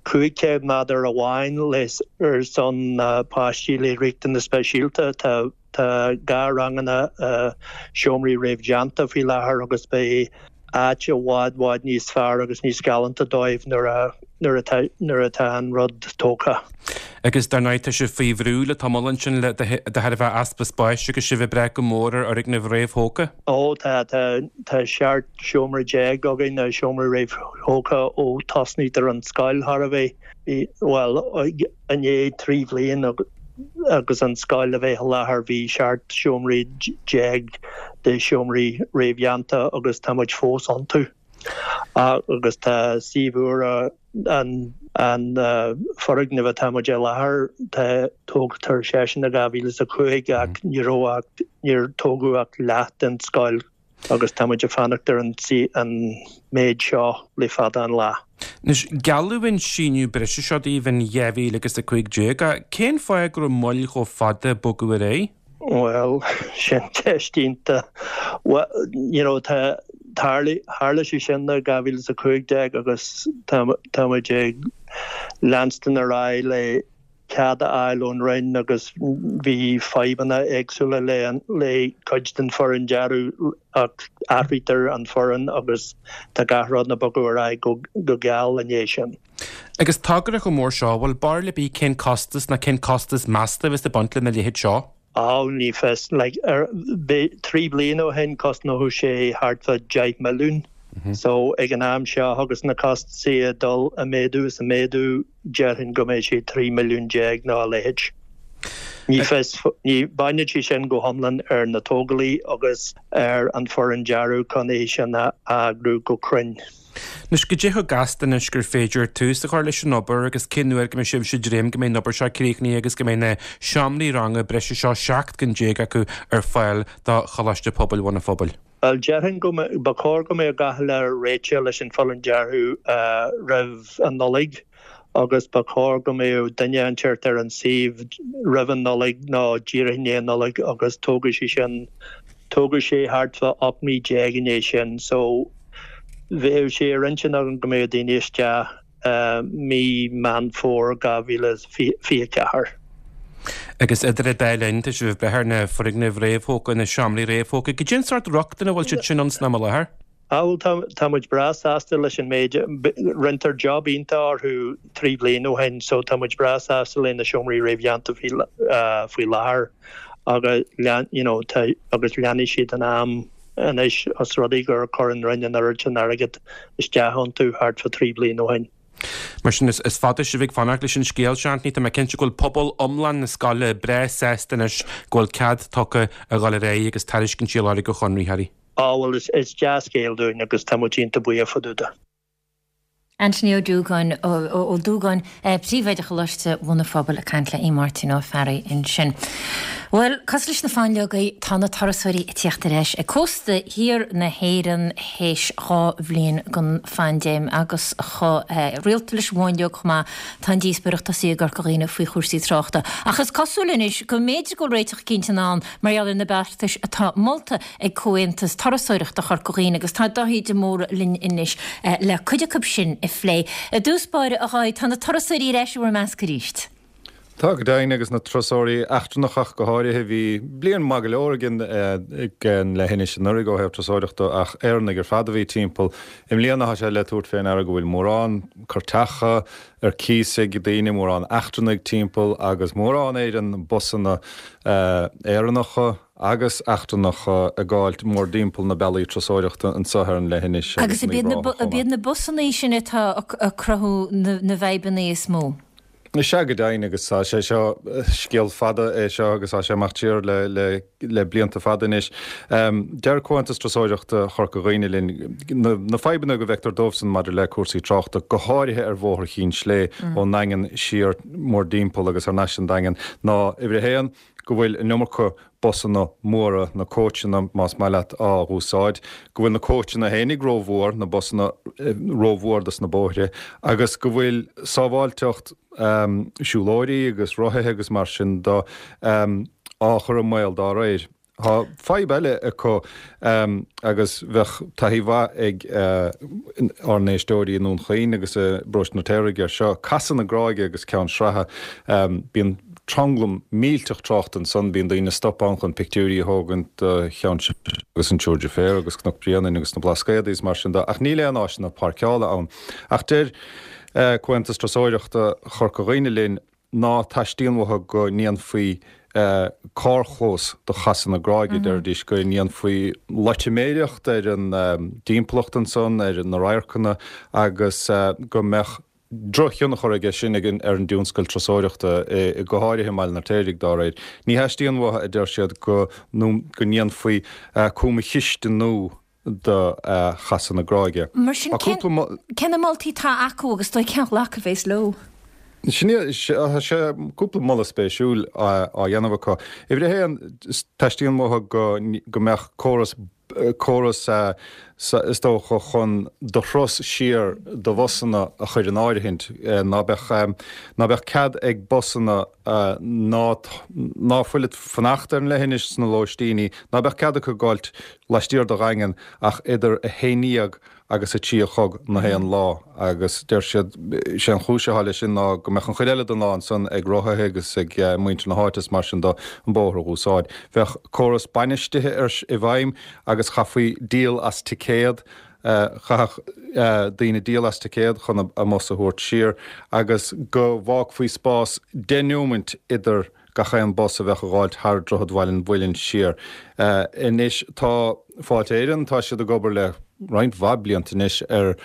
cúig chéad méadar amháin le ar son páistí le riachtanas speisialta. Tá tá dhá ranganna seomraí réamhdhéanta faoi láthair agus beidh áit i bhfad bhfad níos fearr agus níos galánta dóibh nuair a nuair atá nuair atá an rud tógtha.
Agus dar ndóigh tá sibh faoi bhrú le tamall ansin le de thairbhe easpa spáis agus sibh ag brath go mór ar fhoirgnimh réamhthógtha.
Ó tá tá tá seacht seomra déag againn na seomraí réamhthógtha ó tosnaítear an scoil thar a bheith bhuel i ndiaidh trí bhliain agus an scoil a bheith i láthair bhí seacht seomraí déag de seomraí réamhdhéanta agus tá muid fós iontu. Agus tá suíomh úr an an foirgneamh atá muid i láthair tá tógtar seisean i dhá mhíle is a cúig ach ní raibh ach níor tógadh ach leath den scoil agus tá muid ag fanacht ar an an méid seo le fada an lá.
Anois, gealladh an síneadh breise seo daoibh in dhá mhíle agus a cúig déag. Cén fáth go raibh moill chomh fada bogadh ar aghaidh?
Bhuel, sin ceist iontach. Bhuel, you know, tá tharla tharla sé sin i dhá mhíle is a cúig déag agus tá tá muid ag leanstan ar aghaidh le cead a fháil ón Roinn agus bhí fadhbanna éagsúla le le cuid den foireann dearaidh ach athraítear an foireann agus tá gach rud ag bogadh ar aghaidh go go geal i ndiaidh sin.
Agus togra chomh mór seo, bhfuil barúil ar bith cén costas ná cén costas measta a bheas ag baint lena leithéid seo?
Á, ní fios. Like, ar, trí bliana ó shin chosnódh sé thart fá deich milliún. So, ag an am seo agus na costasaí ag dul a méadú is a méadú, déarfainn go mbeidh sé trí milliún déag nó a leithéid. Ní fios, ní, baineann sé sin go hiomlán ar na tógálaí agus ar an foireann dearaidh chun é sin a eagrú go cruinn.
Anois, goidé chomh gasta anois gur féidir tús a chur leis an obair agus cén uair go mbeidh sibhse ag dréim go mbeidh an obair seo críochnaithe agus go mbeidh na seomraí ranga breise seo, seacht gcinn déag acu, ar fáil do Choláiste Pobail Bhun an Phobail?
Bhuel, déarfainn go mbeadh, ba chóir go mbeadh gach uile réitithe leis an foireann dearaidh roimh an Nollaig agus ba chóir go mbeadh duine inteacht ar an suíomh roimh an Nollaig nó díreach i ndiaidh an Nollaig agus tógfaidh sé sin, tógfaidh sé thart fá ocht mí déag i ndiaidh sin so bheadh sé ar intinn agam go mbeadh daoine isteach mí Meán Fómhair dhá mhíle is fiche a ceathair.
Agus idir an dá linn, tá sibh ag brath ar na foirgnimh réamhthógtha, na seomraí réamhthógtha. Goidé an sórt rochtain a bhfuil siad sin ann san am i láthair?
Á bhuel, tá, tá muid breá sásta leis an méid, rinneadar job iontach orthu trí bliana ó shin so tá muid breá sásta le na seomraí réamhdhéanta faoi, faoi láthair agus lean, you know, tá, agus leanfaidh siad an am anois os rud é gur chuir an Roinn an oiread sin airgead isteach iontu thart fá trí bliana ó shin.
Mar sin is fada sibh ag fanacht leis an scéal seo, Anthony, tá mé cinnte go bhfuil pobal iomlán na scoile breá sásta anois go bhfuil cead tugtha a dhul ar aghaidh agus tairiscintí a lorg ó chonraitheoirí.
Á bhuel is dea-scéal dúinn agus tá muid iontach buíoch fá dtaobh de.
Anthony Ó Dúgáin, Ó Dúgáin, Príomhoide Choláiste Bhun an Phobail ag caint le Aodh Máirtín Ó Fearraigh ansin. Bhuel, cosúil leis na fáinleogaí, tá na turasóirí ag tíocht ar ais ag cósta thiar na hÉireann théis dhá bhliain den phaindéim agus chomh rialta leis an bhfáinleog chomh maith, tá an díospóireacht tosaithe i gCorca Dhuibhne faoi chúrsaí tráchta. Ach is cosúil anois go mb'fhéidir go bhfuil réiteach eicínt in ann mar gheall ar na beartais atá molta ag Comhaontas Turasóireachta Chorca Dhuibhne agus tá Dáithí de Mórdha linn anois le cuid acu sin a phlé. I dtús báire, a Dháithí, tá na turasóirí ar ais i bhur measc arís.
Tá go deimhin agus na turasóirí eachtrannacha ach go háirithe. Bhí bliain maith go leor againn ag an leithinis anuraidh ó thaobh turasóireachta ach Éireannaigh ar fad a bhí timpeall. I mbliana tá sé le tabhairt fé ndeara go bhfuil mórán cairteacha ar cíos ag daoine, mórán eachtrannaigh timpeall agus mórán Éireann, busanna Éireannacha agus eachtrannacha ag gabháilt mórdtimpeall na bealaí turasóireachta anseo ar an leithinis
agus
agus
Agus
in Uíbh Ráthach chomh
ab iad
maith.
na busanna sin atá ag cruthú na bhfadhbanna is mó?
Is ea go deimhin agus tá sé seo, scéal fada é seo agus tá sé amach siar le le le blianta fada anois. Deir Comhaontas Turasóireachta Chorca Dhuibhne linn na na fadhbanna go bhfeictear dóibhsan maidir le cúrsaí tráchta, go háirithe ar Bhóthar Chinn Slé ón nDaingean siar mórdtimpeall agus thar n-ais an Daingean, ná uimhir a haon, go bhfuil an iomarca busanna móra, na cóitseanna más maith leat, á dh'úsáid, go bhfuil na cóitseanna fhéinig rómhór, na busanna rómhór dos na bóithre, agus go bhfuil sábháilteacht siúlóirí agus rothaithe agus mar sin de á chur i mbaol dá réir. Tá fadhb eile acu agus bheadh taithí mhaith ag ár n-éisteoirí i nDún Chaoin agus i bparóiste an Fheirtéaraigh air seo, Casadh na Gráige agus Ceann Sratha. Bíonn tranglam millteach tráchta ansan, bíonn daoine ag stopadh ann chun pictiúirí a thógaint de Cheann Sratha agus an tSiúr Deirféar agus Cnoc Bréanainn agus na Blascaodaí is mar sin de, ach níl aon áiseanna páirceála ann. Ach deir Comhaontas Turasóireachta Chorca Dhuibhne linn ná teastaíonn uathu go ndéanfaí carrchlós de Chasadh na Gráige, deiridís go ndéanfaí loitiméireacht ar an dtimpeallacht ansan, ar na radharcanna agus go mbeadh drochthionchar aige sin ar an dtionscal turasóireachta, go háirithe i mBaile an Fheirtéaraigh, dá réir. Ní theastaíonn uathu, a deir siad, go ndéanfaí cuma chiste nua do Chasadh na Gráige.
Mar sin, cé na moltaí atá acu agus dóigh cén ghlacadh a bheas leo?
Sin é, tá sé cúpla moladh spéisiúil á dhéanamh acu. Uimhir a haon, teastaíonn uathu go mbeadh córas, córas is dócha chun do thuras siar do bhusanna a chur in áirithint, ná beadh, ná beadh cead ag busanna ná, ná fuil ag fanacht ar an leithinis sna lóistíní, ná beadh cead acu gabháilt laistiar de Dhaingean ach idir a haon déag agus a trí a chlog na haon lá agus deir siad sé an chúis atá leis sin ná go mbeadh an chuid eile den lá ansan ag rothaithe agus ag muintir na háite is mar sin de an bóthar a dh'úsáid. Bheadh córas bainistithe ar i bhfeidhm agus chaithfí díol as ticéad, chaithfeadh daoine díol as ticéad chun a mbus a thabhairt siar agus go bhfágfaí spás deich neomant idir gach aon bus a bheadh a ghabháilt thar Droichead Bhaile an Mhuilinn siar. Anois tá Fáilte Éireann, tá siad ag obair le roinnt mhaith blianta anois ar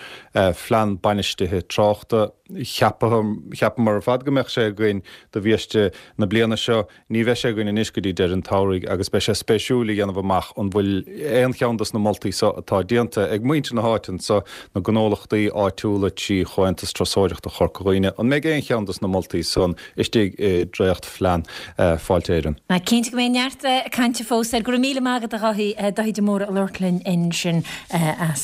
phlean bainistithe tráchta. Cheapamar ar fad go mbeadh sé againn do bhiaiste na bliana seo. Ní bheidh sé againn anois go dtí deireadh an tsamhraidh agus beidh sé spéisiúil a dhéanamh amach an bhfuil aon cheann dos na moltaí seo atá déanta ag muintir na háite anso, na gnólachtaí áitiúla trí Chomhaontas Turasóireachta Chorca Dhuibhne, an mbeidh aon cheann dos na moltaí san istigh i dréachtphlean Fáilte Éireann.
Cinnte go mbeidh neart cainte fós air. Go raibh míle maith agat a Dháithí, Dáithí de Mórdha ag labhairt linn ansin as.